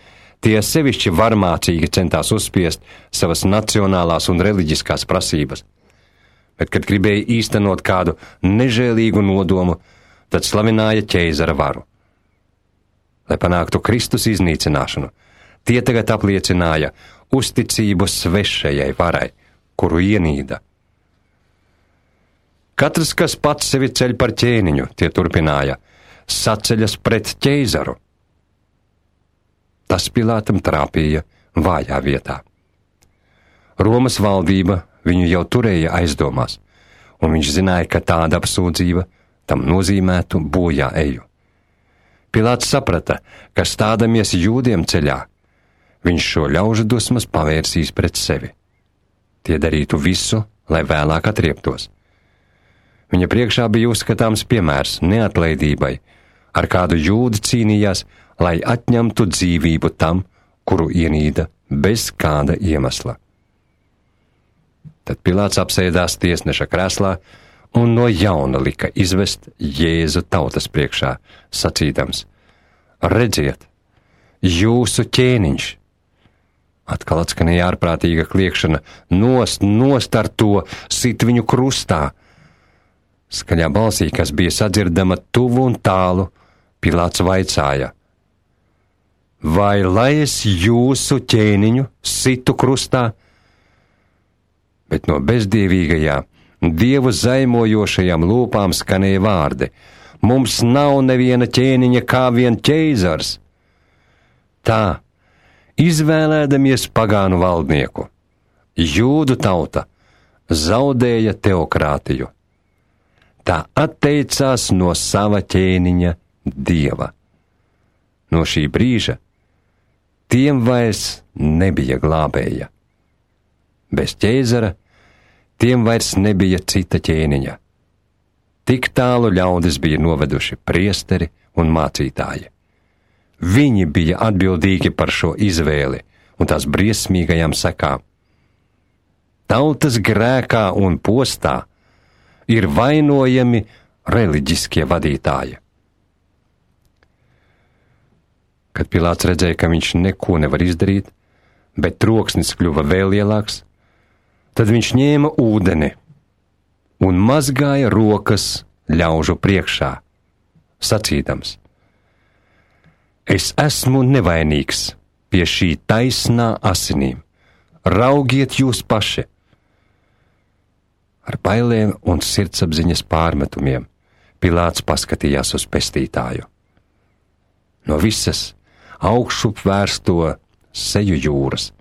tie sevišķi varmācīgi centās uzspiest savas nacionālās un reliģiskās prasības. Bet, kad gribēja īstenot kādu nežēlīgu nodomu, tad slavināja ķēzara varu. Lai panāktu Kristus iznīcināšanu, tie tagad apliecināja uzticību svešajai varai, kuru ienīda. Katrs, kas pats sevi ceļ par ķēniņu, tie turpināja, saceļas pret ķēzaru. Tas Pilātam trāpīja vājā vietā. Romas valdība viņu jau turēja aizdomās, un viņš zināja, ka tāda apsūdzība tam nozīmētu bojā eju. Pilāts saprata, ka stādamies jūdiem ceļā, viņš šo ļaužu dusmas pavērsīs pret sevi. Tie darītu visu, lai vēlāk atrieptos. Viņa priekšā bija uzskatāms piemērs neatlaidībai, ar kādu jūdi cīnījās, lai atņemtu dzīvību tam, kuru ienīda bez kāda iemesla. Tad Pilāts apsēdās tiesneša krēslā un no jauna lika izvest Jēzu tautas priekšā, sacīdams: redziet, jūsu ķēniņš! Atkal atskanēja ārprātīga kliekšana: nost ar to, sit viņu krustā! Skaļā balsī, kas bija sadzirdama tuvu un tālu, Pilāts vaicāja: vai lai es jūsu ķēniņu situ krustā? Bet no bezdievīgajā, dievu zaimojošajām lūpām skanēja vārdi: mums nav neviena ķēniņa kā vien ķeizars. Tā, izvēlēdamies pagānu valdnieku, jūdu tauta zaudēja teokrātiju. Tā atteicās no sava ķēniņa dieva. No šī brīža tiem vairs nebija glābēja. Bez ķēzara tiem vairs nebija cita ķēniņa. Tik tālu ļaudis bija noveduši priesteri un mācītāji. Viņi bija atbildīgi par šo izvēli un tās briesmīgajām sekām. Tautas grēkā un postā ir vainojami reliģiskie vadītāji. Kad Pilāts redzēja, ka viņš neko nevar izdarīt, bet troksnis kļuva vēl lielāks, tad viņš ņēma ūdeni un mazgāja rokas ļaužu priekšā, sacīdams: es esmu nevainīgs pie šī taisnā asinīm, raugiet jūs paši! Ar bailēm un sirdsapziņas pārmetumiem Pilāts paskatījās uz pestītāju. No visas augšup vērsto seju jūras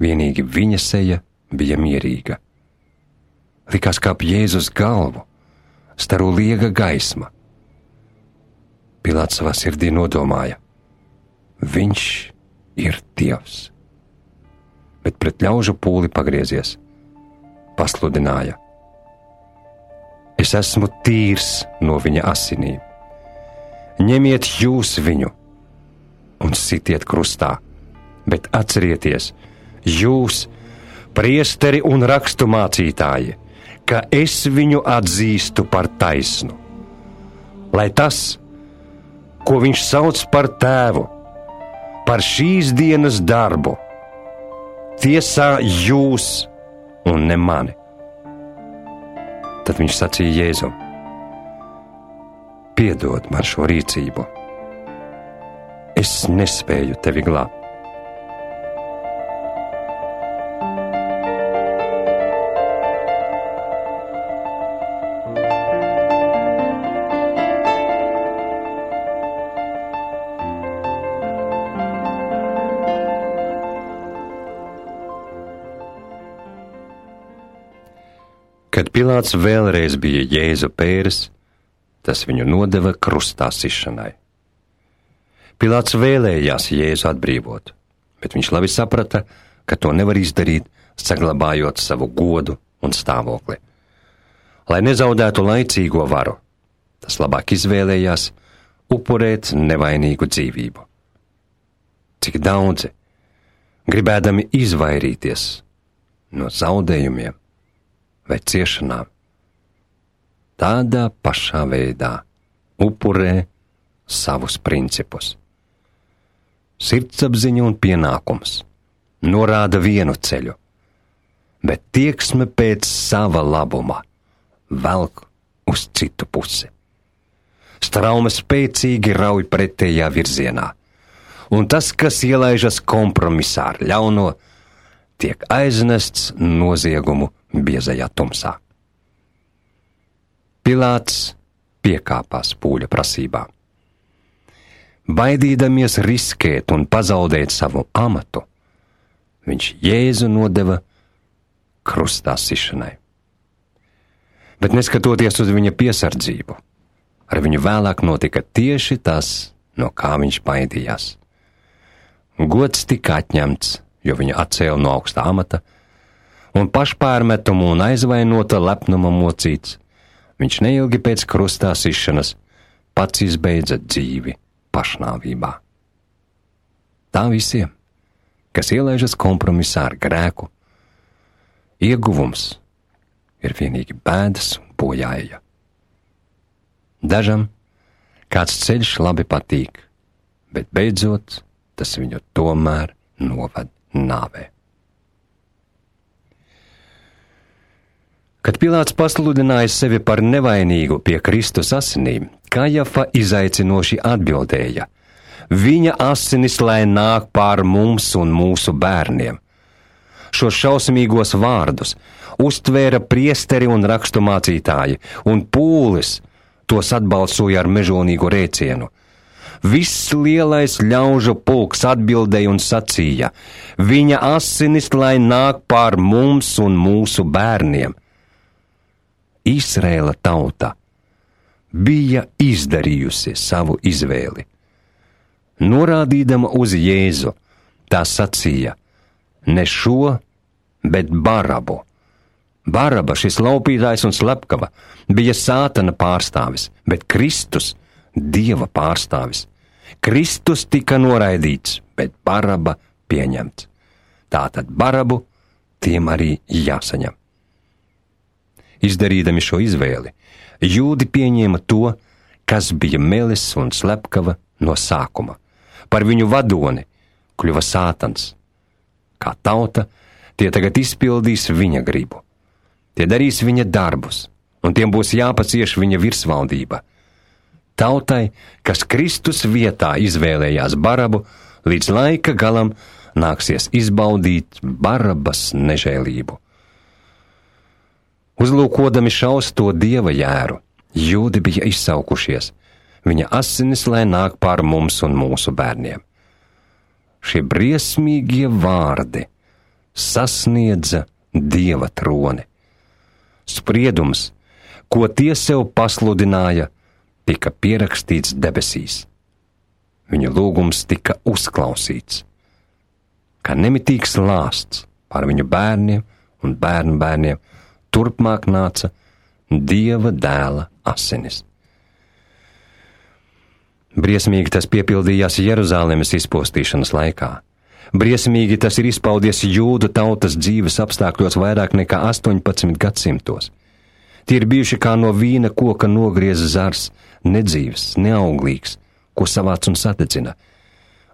vienīgi viņa seja bija mierīga. Likās, kā ap Jēzus galvu staro liega gaisma. Pilāts savā sirdī nodomāja: viņš ir Dievs. Bet pret ļaužu pūli pagriezies, pasludināja: es esmu tīrs no viņa asinīm. Ņemiet jūs viņu un sitiet krustā, bet atcerieties, jūs, priesteri un rakstu mācītāji, ka es viņu atzīstu par taisnu. Lai tas, ko viņš sauc par tēvu, par šīs dienas darbu, tiesā jūs un ne mani. Tad viņš sacīja Jēzum: piedod man šo rīcību, es nespēju tevi glābt. Kad Pilāts vēlreiz bija Jēzu pēris, tas viņu nodeva krustā sišanai. Pilāts vēlējās Jēzu atbrīvot, bet viņš labi saprata, ka to nevar izdarīt, saglabājot savu godu un stāvokli. Lai nezaudētu laicīgo varu, tas labāk izvēlējās upurēt nevainīgu dzīvību. Cik daudzi, gribēdami izvairīties no zaudējumiem vai ciešanām, tādā pašā veidā upurē savus principus. Sirdsapziņa un pienākums norāda vienu ceļu, bet tieksme pēc sava labuma velk uz citu pusi. Strauma spēcīgi rauj pretējā virzienā, un tas, kas ielaižas kompromisā ar ļauno, tiek aiznests noziegumu biezajā tumsā. Pilāts piekāpās pūļa prasībā. Baidīdamies riskēt un pazaudēt savu amatu, viņš Jēzu nodeva krustā sišanai. Bet neskatoties uz viņa piesardzību, ar viņu vēlāk notika tieši tas, no kā viņš baidījās. Gods tika atņemts, jo viņu atcēla no augstā amata, un pašpārmetumu un aizvainota lepnuma mocīts, viņš neilgi pēc krustā sišanas pats izbeidza dzīvi pašnāvībā. Tā visiem, kas ielaižas kompromisā ar grēku, ieguvums ir vienīgi bēdas un bojāja. Dažam kāds ceļš labi patīk, bet beidzot tas viņu tomēr noved nāvē. Kad Pilāts pasludināja sevi par nevainīgu pie Kristus asinīm, Kajafa izaicinoši atbildēja: viņa asinis lai nāk pār mums un mūsu bērniem. Šos šausmīgos vārdus uztvēra priesteri un raksturmācītāji, un pūlis tos atbalsoja ar mežonīgu rēcienu. Viss lielais ļaužu pulks atbildēja un sacīja: viņa asinis lai nāk pār mums un mūsu bērniem. Izraēla tauta bija izdarījusi savu izvēli. Norādīdama uz Jēzu, tā sacīja: ne šo, bet Barabu. Baraba, šis laupītājs un slepkava, bija Sātana pārstāvis, bet Kristus Dieva pārstāvis. Kristus tika noraidīts, bet Baraba pieņemts. Tātad Barabu tiem arī jāsaņem. Izdarīdami šo izvēli, jūdi pieņēma to, kas bija melis un slepkava no sākuma. Par viņu vadoni kļuva Sātans. Kā tauta, tie tagad izpildīs viņa gribu. Tie darīs viņa darbus, un tiem būs jāpacieš viņa virsvaldība. Tautai, kas Kristus vietā izvēlējās Barabu, līdz laika galam nāksies izbaudīt Barabas nežēlību. Uzlūkodami šausto Dieva jēru, jūdi bija izsaukušies: viņa asinis lai nāk pār mums un mūsu bērniem. Šie briesmīgie vārdi sasniedza Dieva troni. Spriedums, ko tie sev pasludināja, tika pierakstīts debesīs. Viņu lūgums tika uzklausīts. Kā nemitīgs lāsts pār viņu bērniem un bērnu bērniem, turpmāk nāca Dieva dēla asinis. Briesmīgi tas piepildījās Jeruzalemes izpostīšanas laikā. Briesmīgi tas ir izpaudies jūdu tautas dzīves apstākļos vairāk nekā 18 gadsimtos. Tie ir bijuši kā no vīna koka nogrieza zars, nedzīvs, neauglīgs, ko savāc un sadedzina.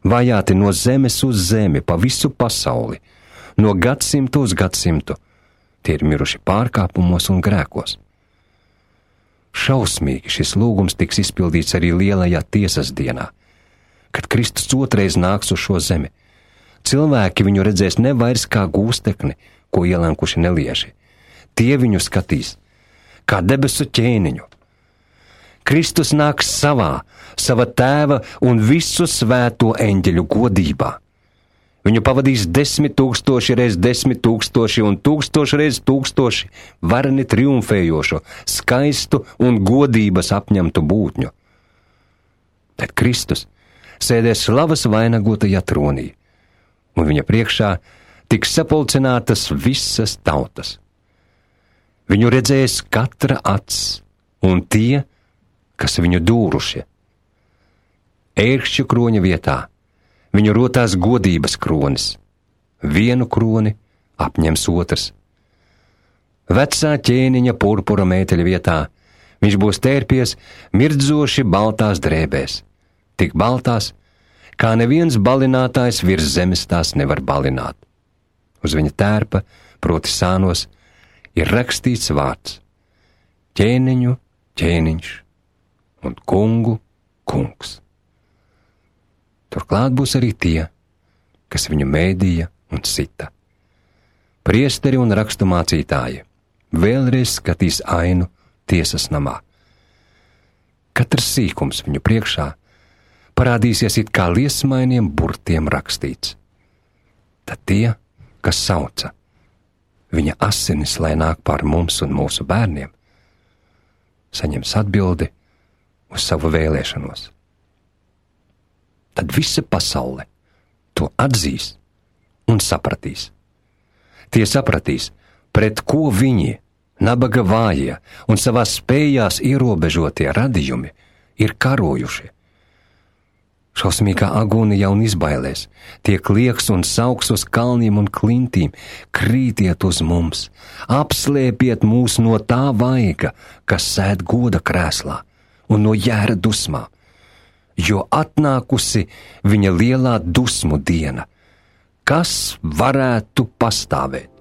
Vajāti no zemes uz zemi, pa visu pasauli, no gadsimtu uz gadsimtu. Tie ir miruši pārkāpumos un grēkos. Šausmīgi šis lūgums tiks izpildīts arī lielajā tiesas dienā, kad Kristus otrais nāks uz šo zemi. Cilvēki viņu redzēs ne vairs kā gūstekni, ko ielenkuši nelieži. Tie viņu skatīs kā debesu ķēniņu. Kristus nāks sava tēva un visu svēto eņģeļu godībā. Viņu pavadīs 10 000 reiz 10 000 un 1000 reiz 1000 vareni triumfējošo, skaistu un godības apņemtu būtņu. Tad Kristus sēdēs slavas vainagotajā tronī, un viņa priekšā tiks sapulcinātas visas tautas. Viņu redzēs katra acs, un tie, kas viņu dūrušie. Ērkšķu kroņa vietā viņu rotās godības kronis. Vienu kroni apņems otrs. Vecā ķēniņa purpura mēteļa vietā viņš būs tērpies mirdzoši baltās drēbēs, tik baltās, kā neviens balinātājs virs zemes tās nevar balināt. Uz viņa tērpa, proti sānos, ir rakstīts vārds: ķēniņu ķēniņš un kungu kungs. Turklāt būs arī tie, kas viņu mēdīja un sita. Priesteri un raksturmācītāji vēlreiz skatīs ainu tiesas namā. Katrs sīkums viņu priekšā parādīsies it kā liesmainiem burtiem rakstīts. Tad tie, kas sauca: viņa asinis lai nāk pār mums un mūsu bērniem, saņems atbildi uz savu vēlēšanos. Tad visa pasaule to atzīs un sapratīs. Tie sapratīs, pret ko viņi, nabaga vājie un savās spējās ierobežotie radījumi, ir karojuši. Šausmīgā agonijā un izbailēs, tie klieks un sauks uz kalniem un klintīm, krītiet uz mums, apslēpiet mūs no tā vaiga, kas sēd goda krēslā un no jēra dusmā, jo atnākusi viņa lielā dusmu diena. Kas varētu pastāvēt?